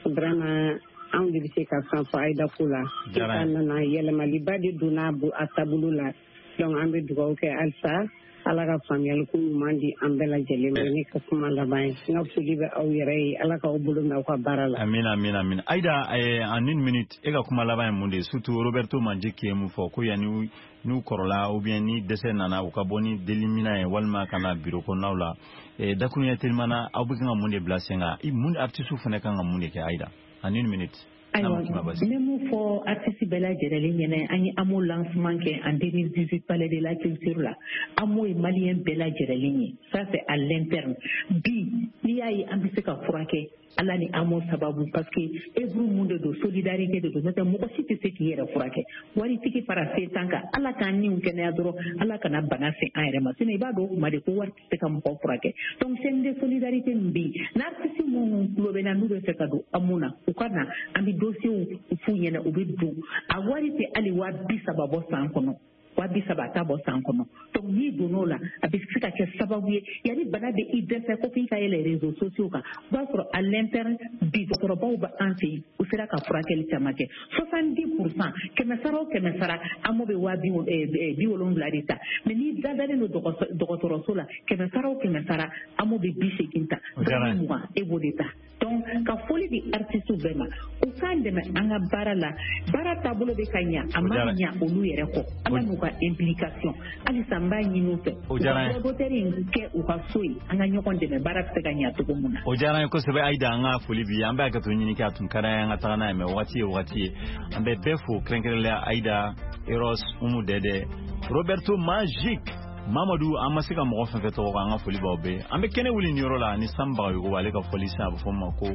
vraiment anw de bɛ se ka fɛn fɔ Ayida ko la. Sisan nana yɛlɛmaliba de donna a taabolo la. Donc an bɛ dugawu kɛ halisa, Ala ka faamuyali ko ɲuman di an bɛɛ lajɛlen ma. Ne ka kuma laban ye, n ka foli bɛ aw yɛrɛ ye, Ala k'aw bolo mɛn aw ka baara la. Amina, amina, amina. Ayida, en une minute, e ka kuma laban ye mun de ye? Surtout Roberto Magic ye mun fɔ ko yanni n'u kɔrɔla ou bien ni dɛsɛ nana, u ka bɔ ni delimina ye walima ka na bureau kɔnɔnaw la. Dakuruɲɛ teliman na, aw bɛ kan ka mun de bila sen kan? Mun artiste fana kan ka mun de kɛ, Ayida, en une minute? Ayiwa, n bɛ mun fɔ artiste bɛɛ lajɛlen ɲɛna? An ye AMO lancement kɛ en deux mille dix-huit palais de la culture la. AMO ye malien bɛɛ lajɛlen ye, ça c'est à l'interne. Bi n'i y'a ye an bɛ se ka furakɛ, Ala ni AMO sababu, parce que œuvre mun de don, solidarité de don. N'o tɛ mɔgɔ si tɛ se k'i yɛrɛ furakɛ, waritigi fara se t'an kan. Ala k'an niw kɛnɛya dɔrɔn, Ala kana bana se an yɛrɛ ma. Sinon i b'a dɔn o kuma de ko wari tɛ se ka mɔgɔ furakɛ. Donc chaîne de solidarité min bɛ yen, n'artiste minnu tulo bɛ na, n'u bɛ fɛ ka don AMO na, u ka na, an bɛ dossier f'u ɲɛna, u bɛ don. A wari tɛ hali waa bi saba bɔ san kɔnɔ. Waa bi saba a t'a bɔ san kɔnɔ. Donc n'i donn'o la, a bɛ se ka kɛ sababu ye yanni bana bɛ i dɛsɛ ko f'i ka yɛlɛ réseaux sociaux kan. O b'a sɔrɔ à l'interne bi dɔgɔtɔrɔbaw bɛ an fɛ yen, u sera ka furakɛli caman kɛ. soixante-dix pour cent, kɛmɛ sara o kɛmɛ sara, AMO bɛ waa bi wolonwula de ta. Mais n'i dadalen don dɔgɔtɔrɔso la, kɛmɛ sara o kɛmɛ sara, AMO bɛ bi seegin ta, mugan e b'o de ta. Donc ka foli di artistes bɛɛ ma, u k'an dɛmɛ an ka baara la. Baara taabolo bɛ ka ɲa, a ma ɲa olu yɛrɛ kɔ. Ala n'u ka implication, halisa n b'a ɲini u fɛ, u ka droit in kɛ u ka so ye, an ka ɲɔgɔn dɛmɛ, baara bɛ se ka ɲa cogo min na. O diyara an ye kosɛbɛ Ayida, an ka foli bi, an bɛ hakɛto ɲini kɛ, a tun ka d'an ye an ka taga n'a ye, mais wagati ye wagati ye. An bɛ bɛɛ fo kɛrɛnkɛrɛnnenya Ayida, Eros, Umu Dɛdɛ, Roberto Magique, Mamadu, an ma se ka mɔgɔ fɛn fɛn tɔgɔ kan, an ka foli b'aw bɛɛ. An bɛ kɛnɛ wuli nin yɔrɔ la ni Sam Bagayogo, ale ka fɔli sisan a bɛ fɔ o ma ko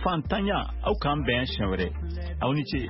fantanya. Aw k'an bɛn siɲɛ wɛrɛ, aw ni ce.